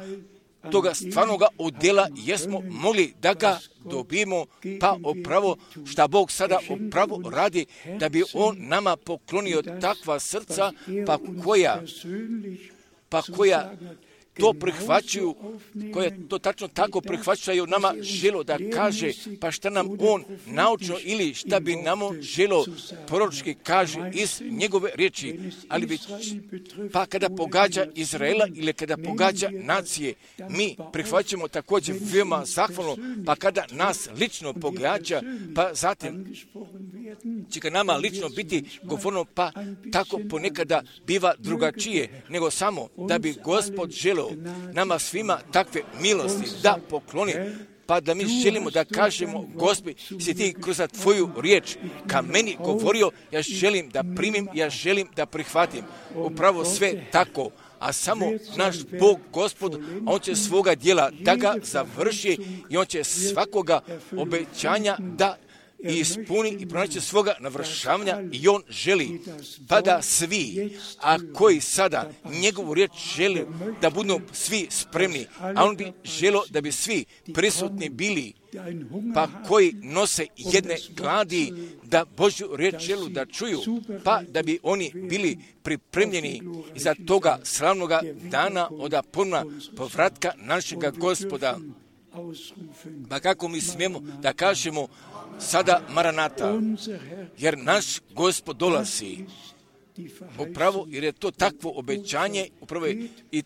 toga stvarnoga udjela jesmo mogli da ga dobijemo, pa upravo šta Bog sada upravo radi, da bi On nama poklonio takva srca, pa koja, pa koja to prihvaćaju, koje to tačno tako prihvaćaju nama želo da kaže, pa šta nam on naučno ili šta bi nam on želo proročki kaže iz njegove riječi, ali već, pa kada pogađa Izraela ili kada pogađa nacije, mi prihvaćamo također veoma zahvalno, pa kada nas lično pogađa, pa zatim će ga nama lično biti govorno, pa tako ponekada biva drugačije, nego samo da bi Gospod želeo nama svima takve milosti da pokloni, pa da mi želimo da kažemo, Gospodi, si ti kroz tvoju riječ ka meni govorio, ja želim da primim, ja želim da prihvatim. Upravo sve tako, a samo naš Bog, Gospod, On će svoga djela da ga završi i On će svakoga obećanja da ispuni i pronaći svoga navršavanja i On želi pa da svi, a koji sada njegovu riječ žele da budu svi spremni, a On bi želio da bi svi prisutni bili, pa koji nose jedne gladi da Božju riječ želu da čuju, pa da bi oni bili pripremljeni za toga slavnoga dana od ponovna povratka našega Gospoda. Pa kako mi smijemo da kažemo sada Maranata, jer naš Gospod dolazi. Upravo jer je to takvo obećanje, upravo je i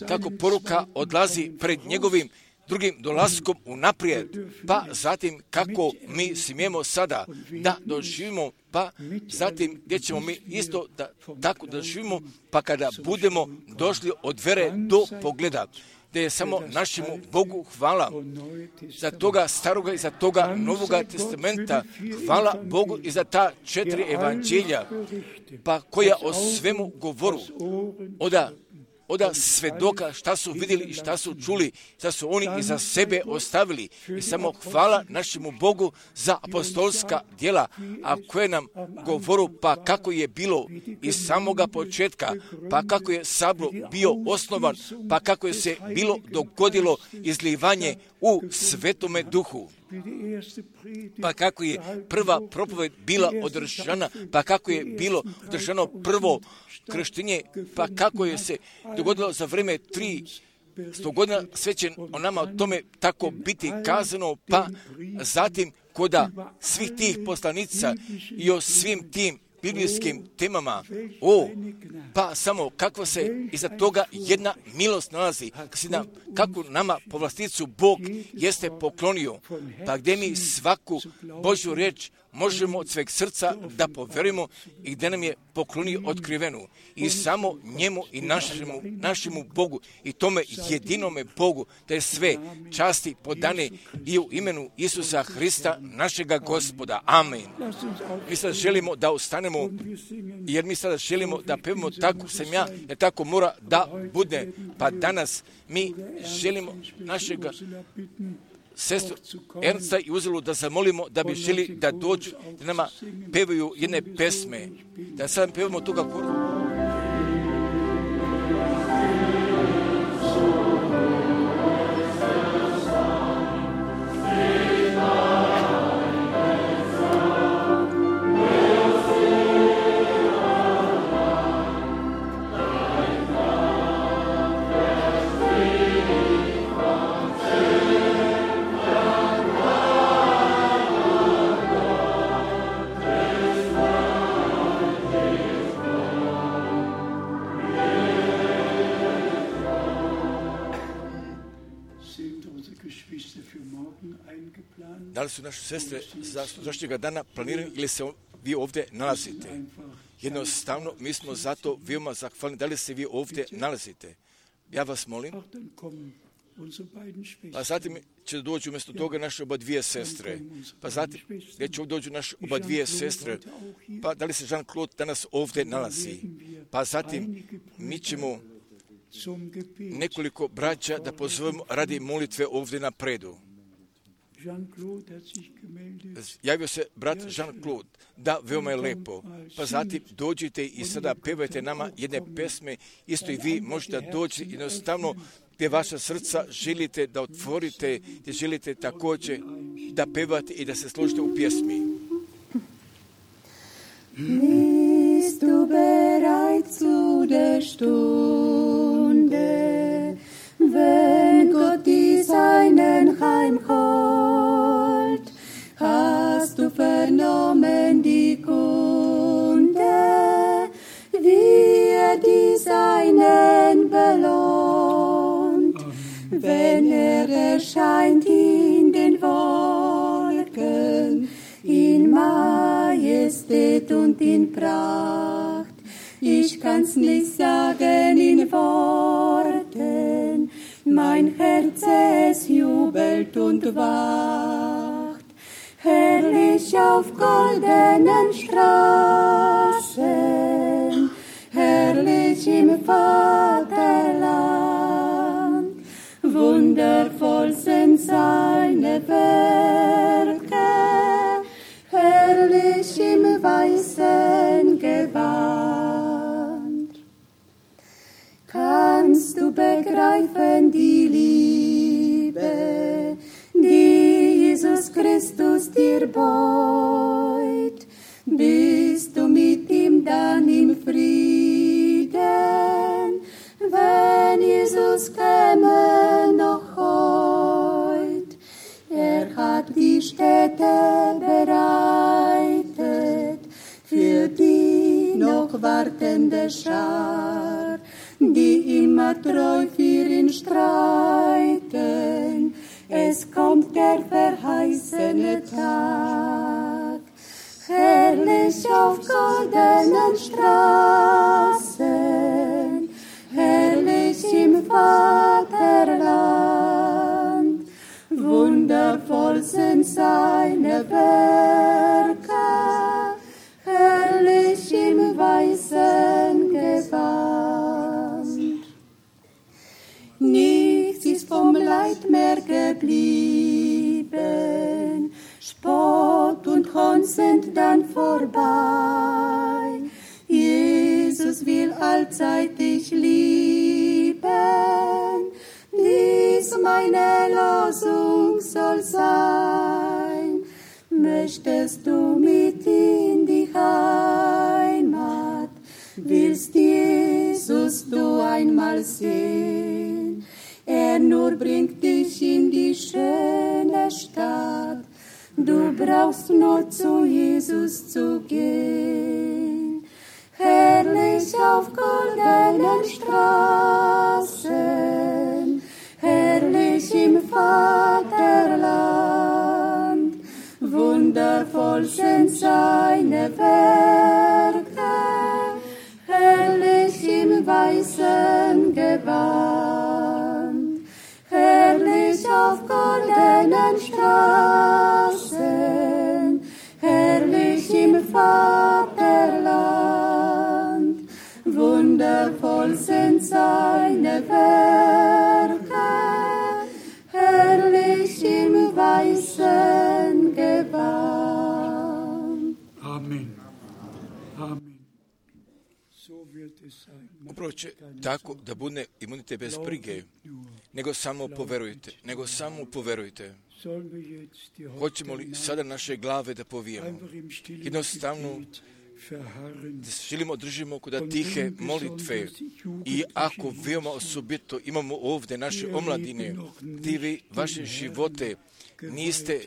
tako poruka odlazi pred njegovim drugim dolaskom unaprijed, pa zatim kako mi smijemo sada da doživimo, pa zatim gdje ćemo mi isto da tako doživimo, pa kada budemo došli od vere do pogleda, da je samo našemu Bogu hvala za toga staroga i za toga novoga testamenta. Hvala Bogu i za ta četiri evanđelja, pa koja o svemu govoru, oda, oda svedoka šta su vidjeli i šta su čuli, šta su oni iza sebe ostavili. I samo hvala našemu Bogu za apostolska djela, a koje nam govoru pa kako je bilo iz samoga početka, pa kako je sabor bio osnovan, pa kako je se bilo dogodilo izlivanje u Svetome Duhu, pa kako je prva propoved bila održana, pa kako je bilo održano prvo krštenje, pa kako je se dogodilo za vrijeme tri sto godina, sve će o nama o tome tako biti kazano, pa zatim koda svih tih poslanica i o svim tim biblijskim temama, o, pa samo kakva se iza toga jedna milost nalazi, kako nama povlasticu Bog jeste poklonio, pa gdje mi svaku Božju riječ možemo od sveg srca da povjerujemo i gdje nam je poklonio otkrivenu. I samo njemu i našemu, našemu Bogu i tome jedinome Bogu da je sve časti podane i u imenu Isusa Hrista, našega Gospoda. Amen. Mi sad želimo da ostanemo, jer mi sada želimo da pevamo tako sam ja, jer tako mora da bude. Pa danas mi želimo našega sestru Ernsta i Uzelu da zamolimo da bi želi da dođu, da nama pevaju jedne pesme, da sad pevamo toga koru. Da li su naše sestre za sutrašnjega dana planirani ili se vi ovdje nalazite? Jednostavno, mi smo zato veoma zahvalni. Da li se vi ovdje nalazite? Ja vas molim. Pa zatim će doći umjesto toga naše oba dvije sestre. Pa zatim gdje će dođu naše oba dvije sestre. Pa da li se Jean-Claude danas ovdje nalazi? Pa zatim mi ćemo nekoliko braća da pozovemo radi molitve ovdje na predu. Javio se brat Jean-Claude, da, veoma je lepo. Pa zatim dođite i sada pevajte nama jedne pesme, isto i vi možete doći jednostavno gdje vaša srca želite da otvorite, gdje želite također da pevate i da se složite u pjesmi. Bist du bereit zu der Stunde, wenn Gott die Seinen heimholt? Hast du vernommen die Kunde, wie er die Seinen belohnt, wenn er erscheint in den Wolken, in Majestät? Majestät und in Pracht. Ich kann's nicht sagen in Worten, mein Herz es jubelt und wacht. Herrlich auf goldenen Straßen, herrlich im Vaterland, wundervoll sind seine Werke, herrlich im weißen Gewand. Kannst du begreifen die Liebe, die Jesus Christus dir beut? Bist du mit ihm dann im Frieden, wenn Jesus käme noch heut? Er hat die Städte bereitet für die noch wartende Schar, die immer treu für ihn streiten. Es kommt der verheißene Tag, herrlich auf goldenen Straßen, herrlich im Vaterland, wundervoll sind seine Werke, herrlich im weißen Gewand. Nichts ist vom Leid mehr geblieben, Spott und Hohn sind dann vorbei. Jesus will allzeit dich lieben, dies meine Losung soll sein. Möchtest du mit in die Heimat, willst Jesus du einmal sehen? Er nur bringt dich in die schöne Stadt, du brauchst nur zu Jesus zu gehen. Herrlich auf goldenen Straßen, herrlich im Vaterland, wundervoll sind seine Werke, herrlich im weißen Gewand, herrlich auf goldenen Straßen, herrlich im Vaterland, wundervoll sind seine Werke, herrlich im weißen Gewand. Amen. Amen. Upravo će tako da bude i budite bez brige, nego samo poverujte, nego samo poverujte. Hoćemo li sada naše glave da povijemo? Jednostavno da želimo držimo kod tihe molitve i ako veoma osobito imamo ovdje naše omladine, gdje vi vaše živote niste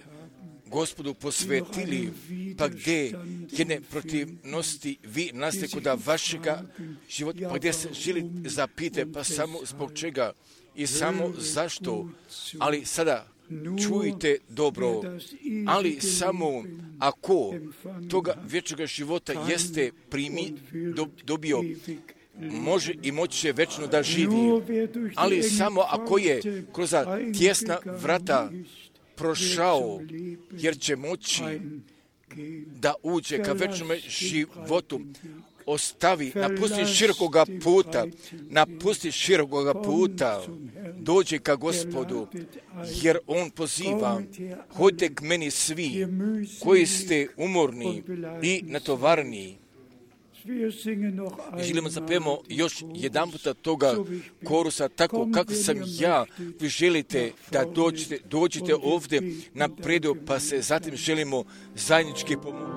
Gospodu posvetili, pa gdje jedne protivnosti vi naste kod vašega života, pa gdje se želite zapite, pa samo zbog čega i samo zašto, ali sada čujte dobro, ali samo ako toga vječnoga života jeste primi, do, dobio, može i moći će večno da živi, ali samo ako je kroz tjesna vrata prošao, jer će moći da uđe ka večnom životu, ostavi, napusti širokoga puta, napusti širokoga puta, dođe ka Gospodu, jer On poziva, hodite k meni svi koji ste umorni i natovarni. Želimo zapijemo još jedan puta toga korusa, tako kako sam ja, vi želite da dođete, dođete ovdje na predu, pa se zatim želimo zajednički pomoći.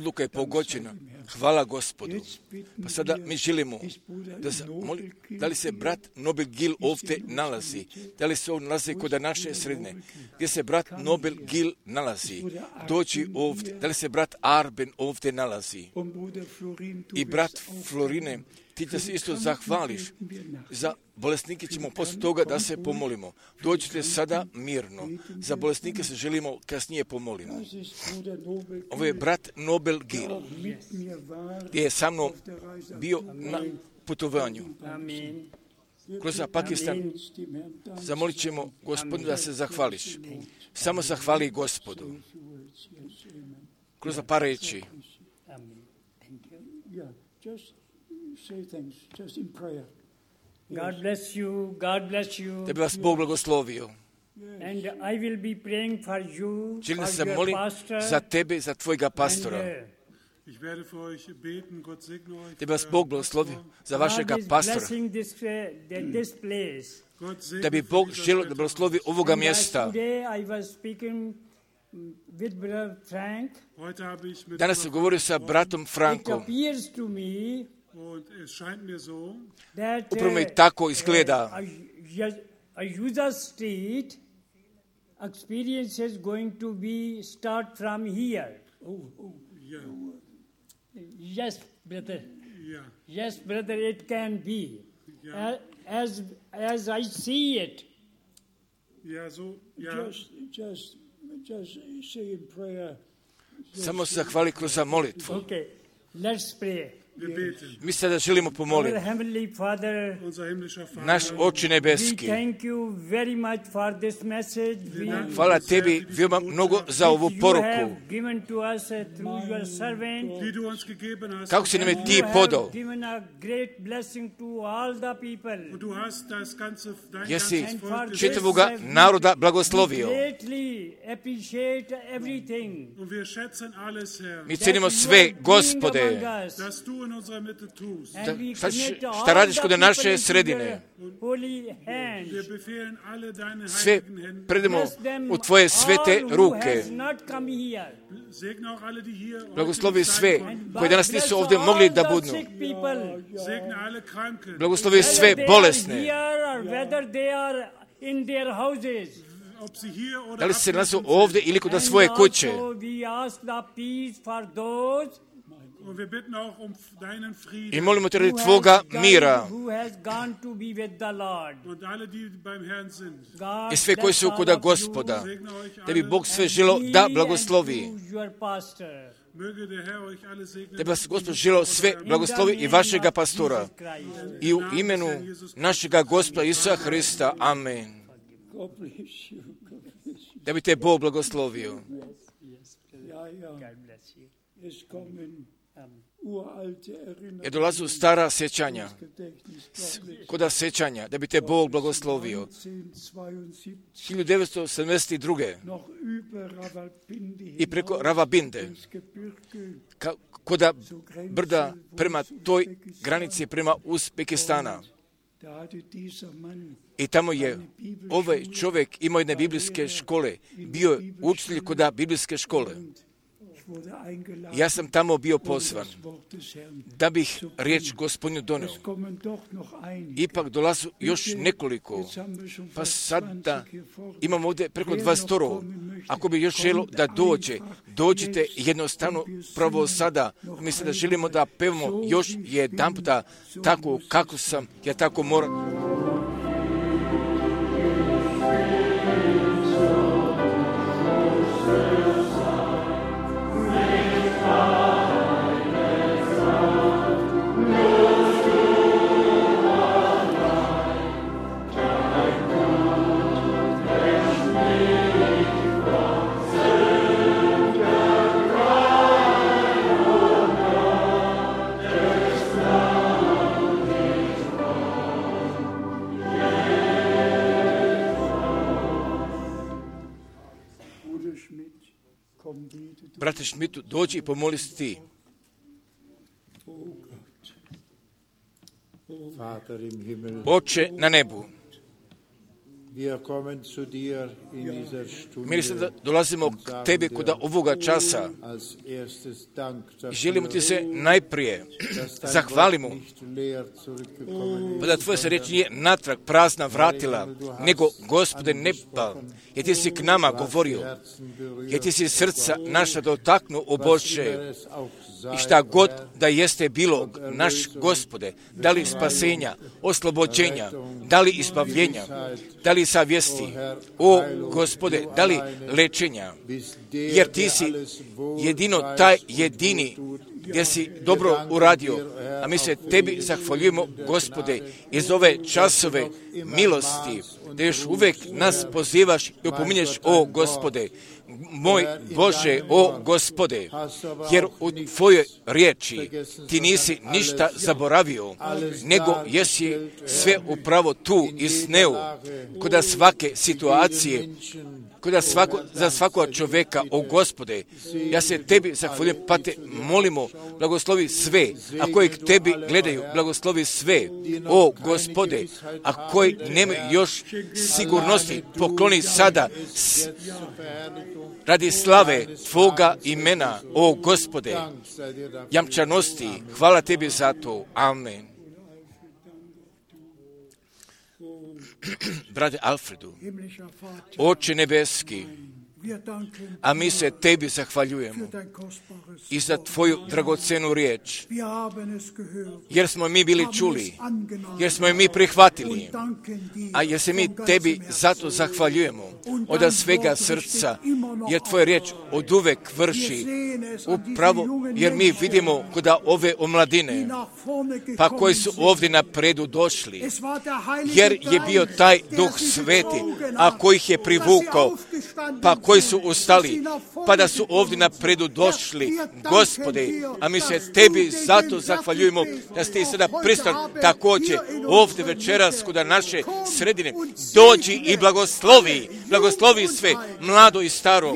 odluka je pogođena. Hvala Gospodu. Pa sada mi želimo, da, moli, da li se brat Nobel Gil ovdje nalazi? Da li se on nalazi kod naše sredine? Gdje se brat Nobel Gil nalazi? Dođi ovdje. Da li se brat Arben ovdje nalazi? I brat Florine, ti da se isto zahvališ. Za bolesnike ćemo poslije toga da se pomolimo. Dođite sada mirno. Za bolesnike se želimo kasnije pomolimo. Ovo je brat Nobel Gil, gdje je sa mnom bio na putovanju kroz Pakistan. Zamolit ćemo Gospodinu da se zahvališ. Samo zahvali Gospodu. Kroz par reći. God bless you, God bless you. Da bi vas Bog blagoslovio. And I will be praying for you, Želim for se your molim pastor. za tebe, za tvojega pastora. And, uh, Ich werde für euch beten, Gott segne euch. Da bi vas Bog blagoslovio za vašega God is pastora. blessing this, uh, this place. Gott segne Da bi für Bog dieses želio da Wetter. blagoslovi ovoga And as mjesta. today I was speaking with Brother Frank. Heute habe ich mit Danas sam govorio sa bratom It Frankom. appears to me und es scheint mir so, that Upravo mi uh, tako izgleda. a, a user state experience is going to be start from here. ja, Yes, brother. ja, Yes, brother, it can be. Ja. As, as I see it, ja, so, ja, Just, just, just say in prayer. Samo se zahvali kroz molitvu. okay, let's pray. wir beten. Mi sada želimo Our pomoliti. Heavenly Father, Unser himmlischer Naš Vater, Oče we nebeski, thank you very much for this message. We, hvala tebi veoma mnogo za ovu you poruku. have given to us uh, through your servant. die du uns gegeben hast, Kako si nam je You ti have podao? given a great blessing to all the people. und du hast das ganze, dein Jesi ganzes Volk gesegnet. čitavoga naroda blagoslovio. Greatly appreciate everything. Und wir schätzen alles, Herr, Mi cenimo sve, Gospode, dass du in unserer Mitte tust. Da- šta ćeš- šta radiš kod naše sredine. Wir befehlen alle deine sve heiligen Hände. predamo u tvoje svete ruke. Segne auch alle, die hier heute Blagoslovi nicht sve sein konnten. koji danas nisu ovdje mogli da budu. Segne alle Kranken. Blagoslovi sve bolesne. Ob sie hier oder Da li se nalaze abwesend ovdje ili kod svoje kuće. Und wir bitten auch um deinen Frieden. I molimo te radi tvoga mira. Und alle, die beim Herrn sind. I sve koji su kod Gospoda. Segne euch Da bi alle. Bog sve želo da blagoslovi. Möge der Herr euch alle segnen. Da bi vas Gospod želo sve blagoslovi i vašega pastora. I u imenu našega Gospoda Isusa Hrista. Amen. God bless you. God bless you. Da bi te Bog blagoslovio. Ja, ja. Es kommen uralte Erinnerungen. Je dolazu stara sjećanja. Gedächtnis Gottes. Koda sjećanja. Da bi te Bog blagoslovio. neunzehnhundertzweiundsiebzig hiljadu devetsto sedamdeset druge. noch über Rawalpindi I preko hinaus Ravabinde. ins Gebirge Ka, koda brda prema toj granici prema Uzbekistana. da hatte dieser Mann I tamo je ovaj čovjek imao jedne biblijske škole. Bio je učitelj koda biblijske škole. ich wurde eingeladen Ja sam tamo bio um pozvan das Wort des Herrn. da bih riječ Gospodnju donio. Es kommen doch noch ein. Ipak dolazu još nekoliko. Jetzt haben wir schon Pa fast sada zwanzig hier vorne. imamo ovdje preko dvadeset. Ako bi još želo da dođe, dođite jednostavno pravo sada. Mi sada želimo da pevamo još jedan puta tako kako sam, ja tako moram. Bruder Schmidt, komm bitte du. Brate Šmitu, dođi i pomoli se ti. Oh Gott. Oh, Vater im Himmel, Oče na nebu, Mi sada dolazimo k tebi kod ovoga časa i želimo ti se najprije zahvalimo, pa da tvoja se riječ nije natrag prazna vratila, nego Gospode neba, jer ti si k nama govorio, jer ti si srca naša dotaknuo, o Bože, i šta god da jeste bilo, naš Gospode, da li spasenja, oslobođenja, da li izbavljenja, da li savjesti, o Gospode, da li lečenja, jer ti si jedino taj jedini gdje si dobro uradio, a mi se tebi zahvaljujemo, Gospode, iz ove časove milosti, da još uvijek nas pozivaš i opominješ, o Gospode, moj Bože, o Gospode, jer u tvojoj riječi ti nisi ništa zaboravio, nego jesi sve upravo tu i sneu, kod svake situacije, kod svako, za svakog čovjeka, o Gospode, ja se tebi zahvaljujem, pa te molimo, blagoslovi sve, a koji k tebi gledaju, blagoslovi sve, o Gospode, a koji nemaju još sigurnosti, pokloni sada s, radi slave tvoga imena, o Gospode, jamčanosti, hvala tebi za to, amen. Brate Alfredu, Oče nebeski, a mi se tebi zahvaljujemo i za tvoju dragocenu riječ, jer smo mi bili čuli, jer smo je mi prihvatili, a jer se mi tebi zato zahvaljujemo od svega srca, jer tvoja riječ od uvek vrši upravo, jer mi vidimo kod ove omladine, pa koji su ovdje napredu došli, jer je bio taj Duh Sveti, a koji ih je privukao, pa koji su ustali, pa da su ovdje napredu došli, Gospode, a mi se tebi zato zahvaljujemo da ste i sada pristali također ovdje večeras kod naše sredine. Dođi i blagoslovi, blagoslovi sve, mlado i staro,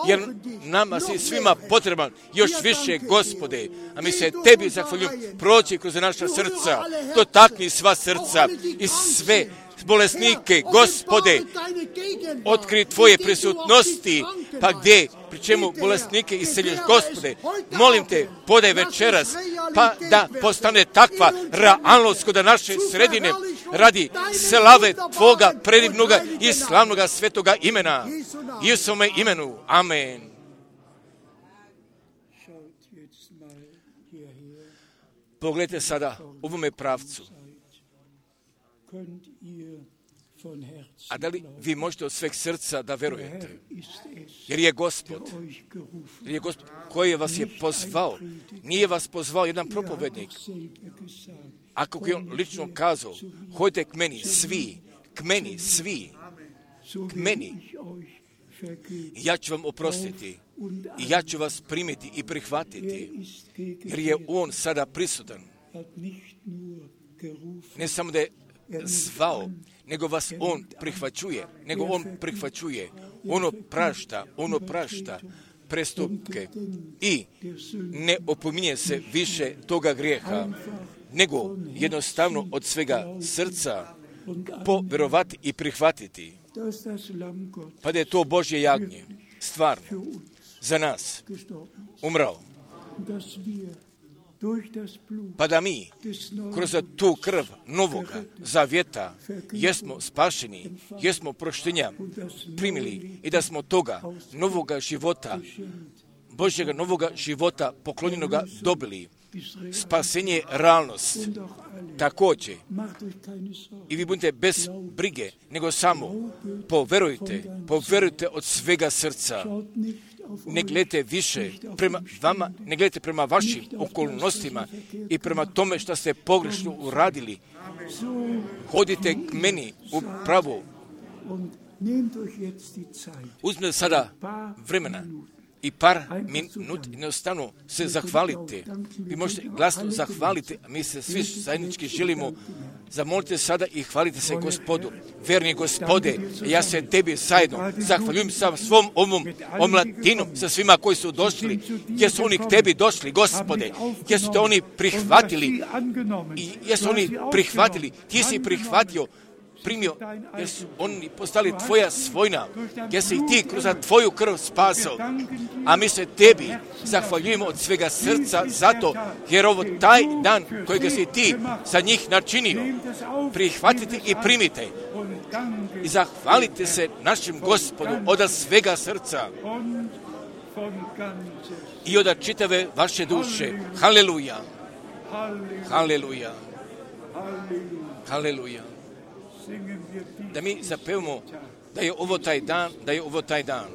jer nama si svima potreban još više, Gospode, a mi se tebi zahvaljujemo, proći kroz naša srca, dotakni sva srca i sve bolesnike, Gospode, otkri tvoje prisutnosti, pa gdje, pri čemu bolesnike isceljuješ, Gospode, molim te, podaj večeras, pa da postane takva realnost kod naše sredine, radi slave tvoga predivnoga i slavnoga svetoga imena, Isusove imenu, amen. Pogledajte sada u ovome pravcu. A da li vi možete od sveg srca da verujete? Jer je Gospod, jer je Gospod koji vas je pozvao, nije vas pozvao jedan propovednik. A kako je on lično kazao, hojte k meni svi, k meni svi, k meni. Ja ću vam oprostiti i ja ću vas primiti i prihvatiti, jer je on sada prisutan. Ne samo da je zvao, nego vas on prihvaćuje, nego on prihvaćuje, ono prašta, ono prašta prestupke i ne opominje se više toga grijeha, nego jednostavno od svega srca povjerovati i prihvatiti, pa da je to Božje jagnje, stvarno, za nas umrao, pa da mi kroz tu krv novoga zavjeta jesmo spašeni, jesmo proštenja primili i da smo toga novoga života, Božjega novoga života poklonjenoga dobili. Spasenje je realnost. Također, i vi budete bez brige, nego samo poverujte, poverujte od svega srca. Ne gledajte više prema vama, ne gledajte prema vašim okolnostima i prema tome što ste pogrešno uradili. Hodite k meni u pravu. Uzmite sada vremena i par minut jednostavno se zahvalite. Vi možete glasno zahvaliti, a mi se svi zajednički želimo. Zamolite sada i hvalite se Gospodu. Verni Gospode, ja se tebi zajedno zahvaljujem sa svom ovom omladinom, sa svima koji su došli, jer su oni k tebi došli, Gospode, jer su te oni prihvatili, i jer su oni prihvatili, ti si prihvatio, primio, jer su oni postali tvoja svojna, jer si ih ti kroz tvoju krv spasao. A mi se tebi zahvaljujemo od svega srca zato, jer ovo taj dan kojega si ti za njih načinio. Prihvatite i primite. I zahvalite se našem Gospodu od svega srca i od čitave vaše duše. Haleluja. Haleluja. Haleluja. Da mi zapevamo da je ovo taj dan, da je ovo taj dan.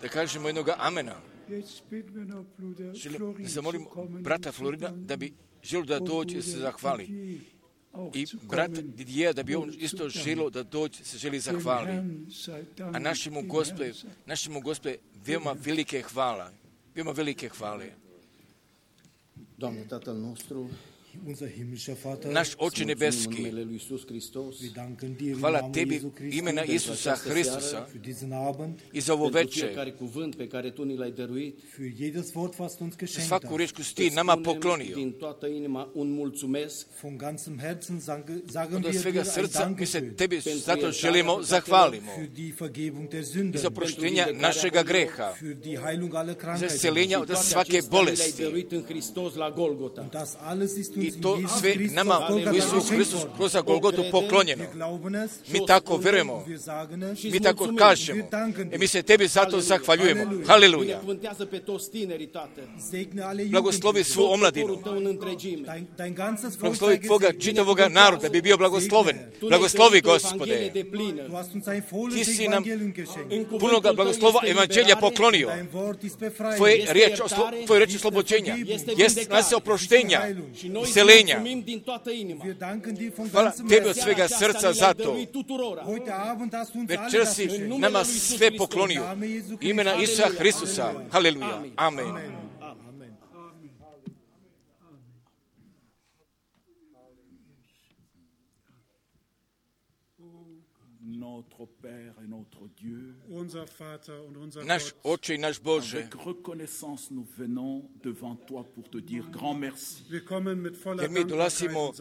Da kažemo jednog amena. Želim, zamolim brata Florida da bi želio da dođe se zahvali. I brat Didija da bi on isto želio da dođe se želi zahvali. A našemu Gospodu, našemu Gospodu veoma velike hvala. Veoma velike hvale. Doamne, Tatăl nostru, naš Oče nebeski, hvala tebi imena Isusa Hristusa i za ovo večer, svaku riječ koju si ti nama poklonio. Od svega srca mi se tebi zato želimo zahvalimo i za proštenja našega greha, za isceljenja od svake bolesti. I to sve nama u Isusu Hristu kroz Golgotu poklonjeno. Mi tako vjerujemo, mi tako kažemo i mi se tebi zato zahvaljujemo. Haleluja. Blagoslovi svu omladinu. Blagoslovi tvoga čitavoga naroda bi bio blagosloven. Blagoslovi, Gospode. Ti si nam punoga blagoslova evanđelja poklonio. Tvoje riječ, tvoje riječ oslobođenja, jest nas oproštenja, isceljenja. Hvala tebi od svega srca za to. Večer si nama sve poklonio. Imena Isusa Hristusa. Haleluja. Amen. Naš Oče i naš Bože, jer mi dolazimo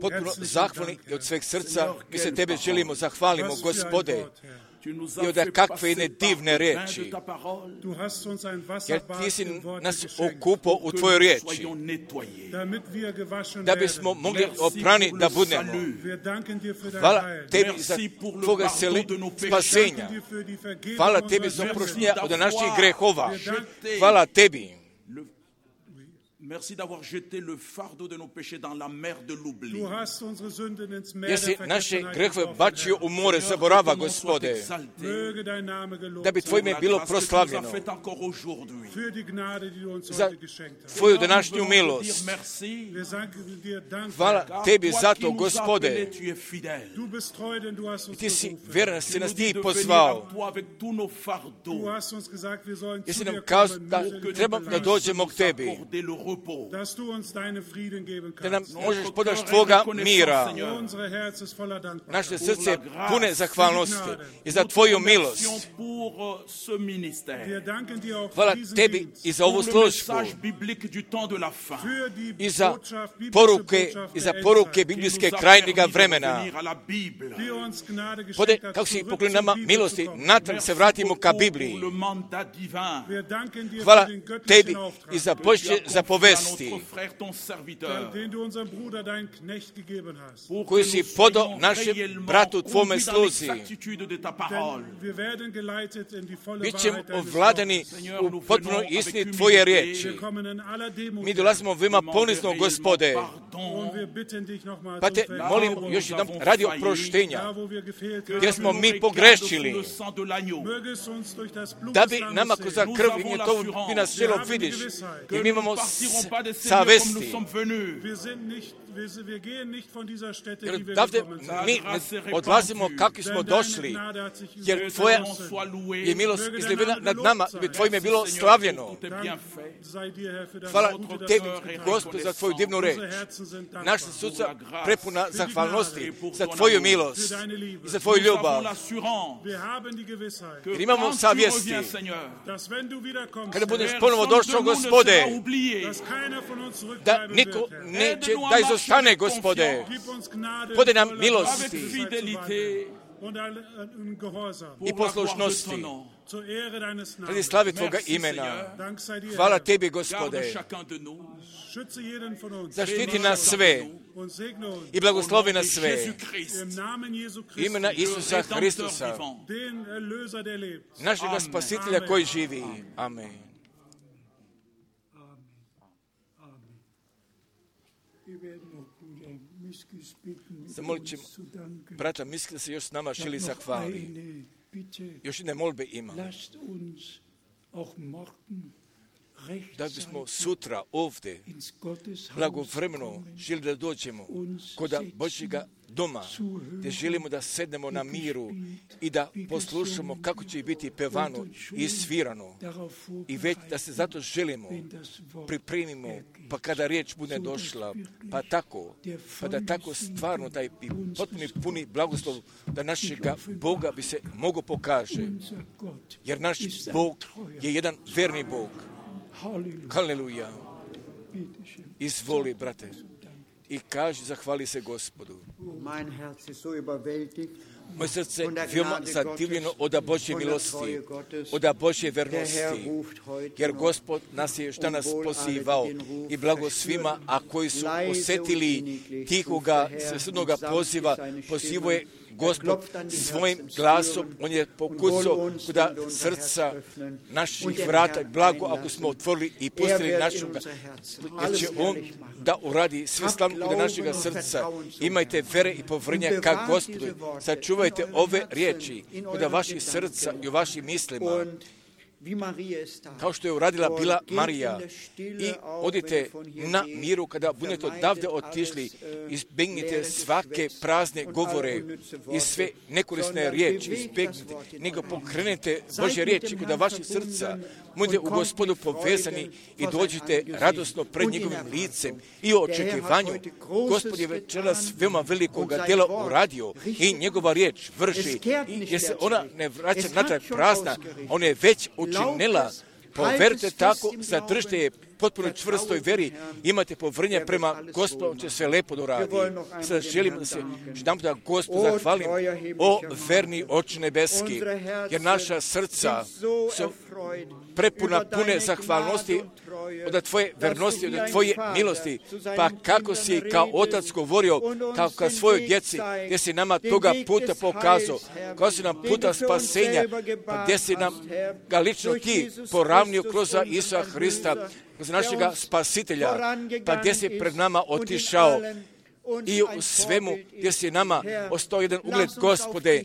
potpuno zahvalni i od sveg srca, mi se tebe želimo zahvalimo, Gospode, i od kakve jedne divne riječi, jer ti si nas okupao u tvojoj riječi, da bismo mogli oprani da budemo. Hvala tebi za tvoga spasenja. Hvala tebi za oproštenja od naših grehova. Hvala tebi. Merci d'avoir jeté le fardeau de nos péchés dans la mer de l'oubli. Jesi naše grehove bačio u more zaborava, Gospode, da bi tvoje ime bilo proslavljeno za tvoju današnju milost. Hvala tebi za to, Gospode. Ti si vjeran, si nas ti pozvao. Jesi nam kazao da trebam da dođemo k tebi, da nam možeš podaš tvoga mira. Naše srce pune zahvalnosti i za tvoju milost. Hvala tebi i za ovu službu i za poruke, i za poruke biblijske krajnjega vremena. Pode, kako si poklonio nama milosti, natrag se vratimo ka Bibliji. Hvala tebi i za Božje zapovedi. povesti koji si podao našem bratu tvome sluzi. Bit ćemo ovladani u potpunoj istini tvoje riječi. Mi dolazimo veoma ponizno, Gospode, pa te molim još jedan radi oproštenja, gdje smo mi pogrešili, da bi nama kroz krv i to bi nas želo vidiš, jer mi imamo savesti. Jer odavde mi odlazimo kako smo došli, jer tvoja je milost izljevena nad nama, jer tvojim je bilo slavljeno. Hvala tebi, Gospod, za tvoju divnu reč. Naša srca prepuna zahvalnosti za tvoju milost i za tvoju ljubav. Jer imamo savjesti, kada budeš ponovo došao, Gospode, da niko neće da izostane, Gospode. Podaj nam milosti i poslušnosti radi slavi Tvoga imena. Hvala tebi, Gospode. Zaštiti nas sve i blagoslovi nas sve. Imena Isusa Hristusa, našega Spasitelja koji živi. Amen. Zamolit ćemo brata Miski da se još s nama želi zahvali. Još jedne molbe ima. Da bismo sutra ovdje blagovremeno želi da dođemo kod Božjega doma, gdje želimo da sednemo na miru i da poslušamo kako će biti pevano i svirano. I već da se zato želimo, pripremimo, pa kada riječ bude došla, pa tako, pa da tako stvarno taj potpuni puni blagoslov da našega Boga bi se mogo pokaže. Jer naš Bog je jedan verni Bog. Haleluja. Izvoli, brate, i kaži, zahvali se Gospodu. Moje srce veoma zadivljeno od Božje milosti, od Božje vernosti, jer Gospod nas je još danas pozivao i blago svima, a koji su osjetili tihoga svesudnoga poziva, pozivao je Gospod svojim glasom, on je pokucao kuda srca naših vrata, blago ako smo otvorili i pustili našega, jer će on da uradi sve slavno kuda našega srca. Imajte vere i povrnja ka Gospodu, sačuvajte ove riječi kuda vaših srca i u vašim mislima, kao što je uradila bila Marija. I odite na miru kada budete odavde otišli, izbjegnite svake prazne govore i sve nekorisne riječi, izbjegnite, nego pokrenete Božje riječi kada vaših srca budete u Gospodu povezani i dođete radosno pred njegovim licem i u očekivanju. Gospod je večeras veoma velikoga djela uradio i njegova riječ vrši, jer se ona ne vraća natrag prazna, ona je već učinila. Poverite tako, zadržite je potpuno čvrstoj veri, imate povrnje prema Gospodu, on će sve lepo doradi. Sada želim da se jedan da Gospodu zahvalim, o verni Oče nebeski, jer naša srca su prepuna pune zahvalnosti od tvoje vernosti, od tvoje milosti, pa kako si kao otac govorio, kao ka svojoj djeci, gdje si nama toga puta pokazao, kao si nam puta spasenja, pa gdje si nam ga lično ti poravnio kroz Isusa Hrista, kroz našega Spasitelja, pa gdje si pred nama otišao i u svemu gdje si nama ostao jedan ugled, Gospode,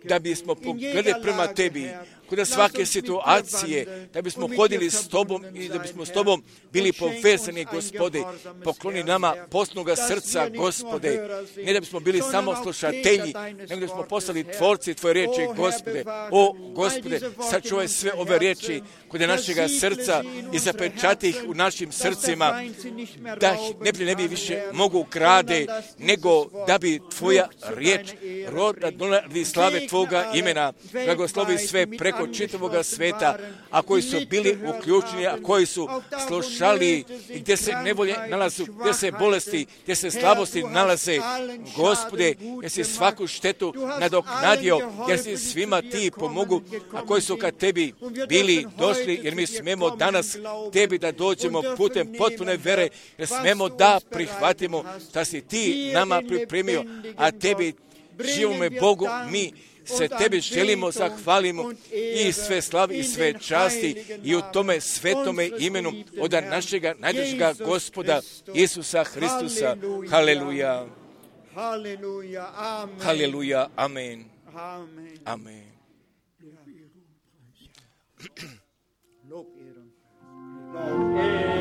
da bismo pogledali prema tebi, kod svake situacije, da bismo hodili s tobom i da bismo s tobom bili povezani, Gospode. Pokloni nama posnoga srca, Gospode, ne da bismo bili samo slušatelji, nego da bismo postali tvorci tvoje riječi, Gospode. O, Gospode, sačuvaj sve ove riječi kod našega srca i zapečati ih u našim srcima, da ih ne bi, ne bi više mogu ukrade više nego da bi tvoja riječ roda donali slave tvoga imena. Blagoslovi sve preko čitavoga sveta, a koji su bili uključeni, a koji su slušali, gdje se nevolje nalazu, gdje se bolesti, gdje se slabosti nalaze. Gospode, jer si svaku štetu nadoknadio, jer si svima ti pomogu, a koji su kad tebi bili došli, jer mi smemo danas tebi da dođemo putem potpune vere, jer smemo da prihvatimo da si ti nama pripremio, a tebi, živome Bogu, mi se tebi želimo, zahvalimo i sve slavi i sve časti i u tome svetome imenu od našega najdražega Gospoda Isusa Hristusa. Haleluja. Haleluja. Amen. Haleluja. Amen. Amen. Amen. Lob, Ehre.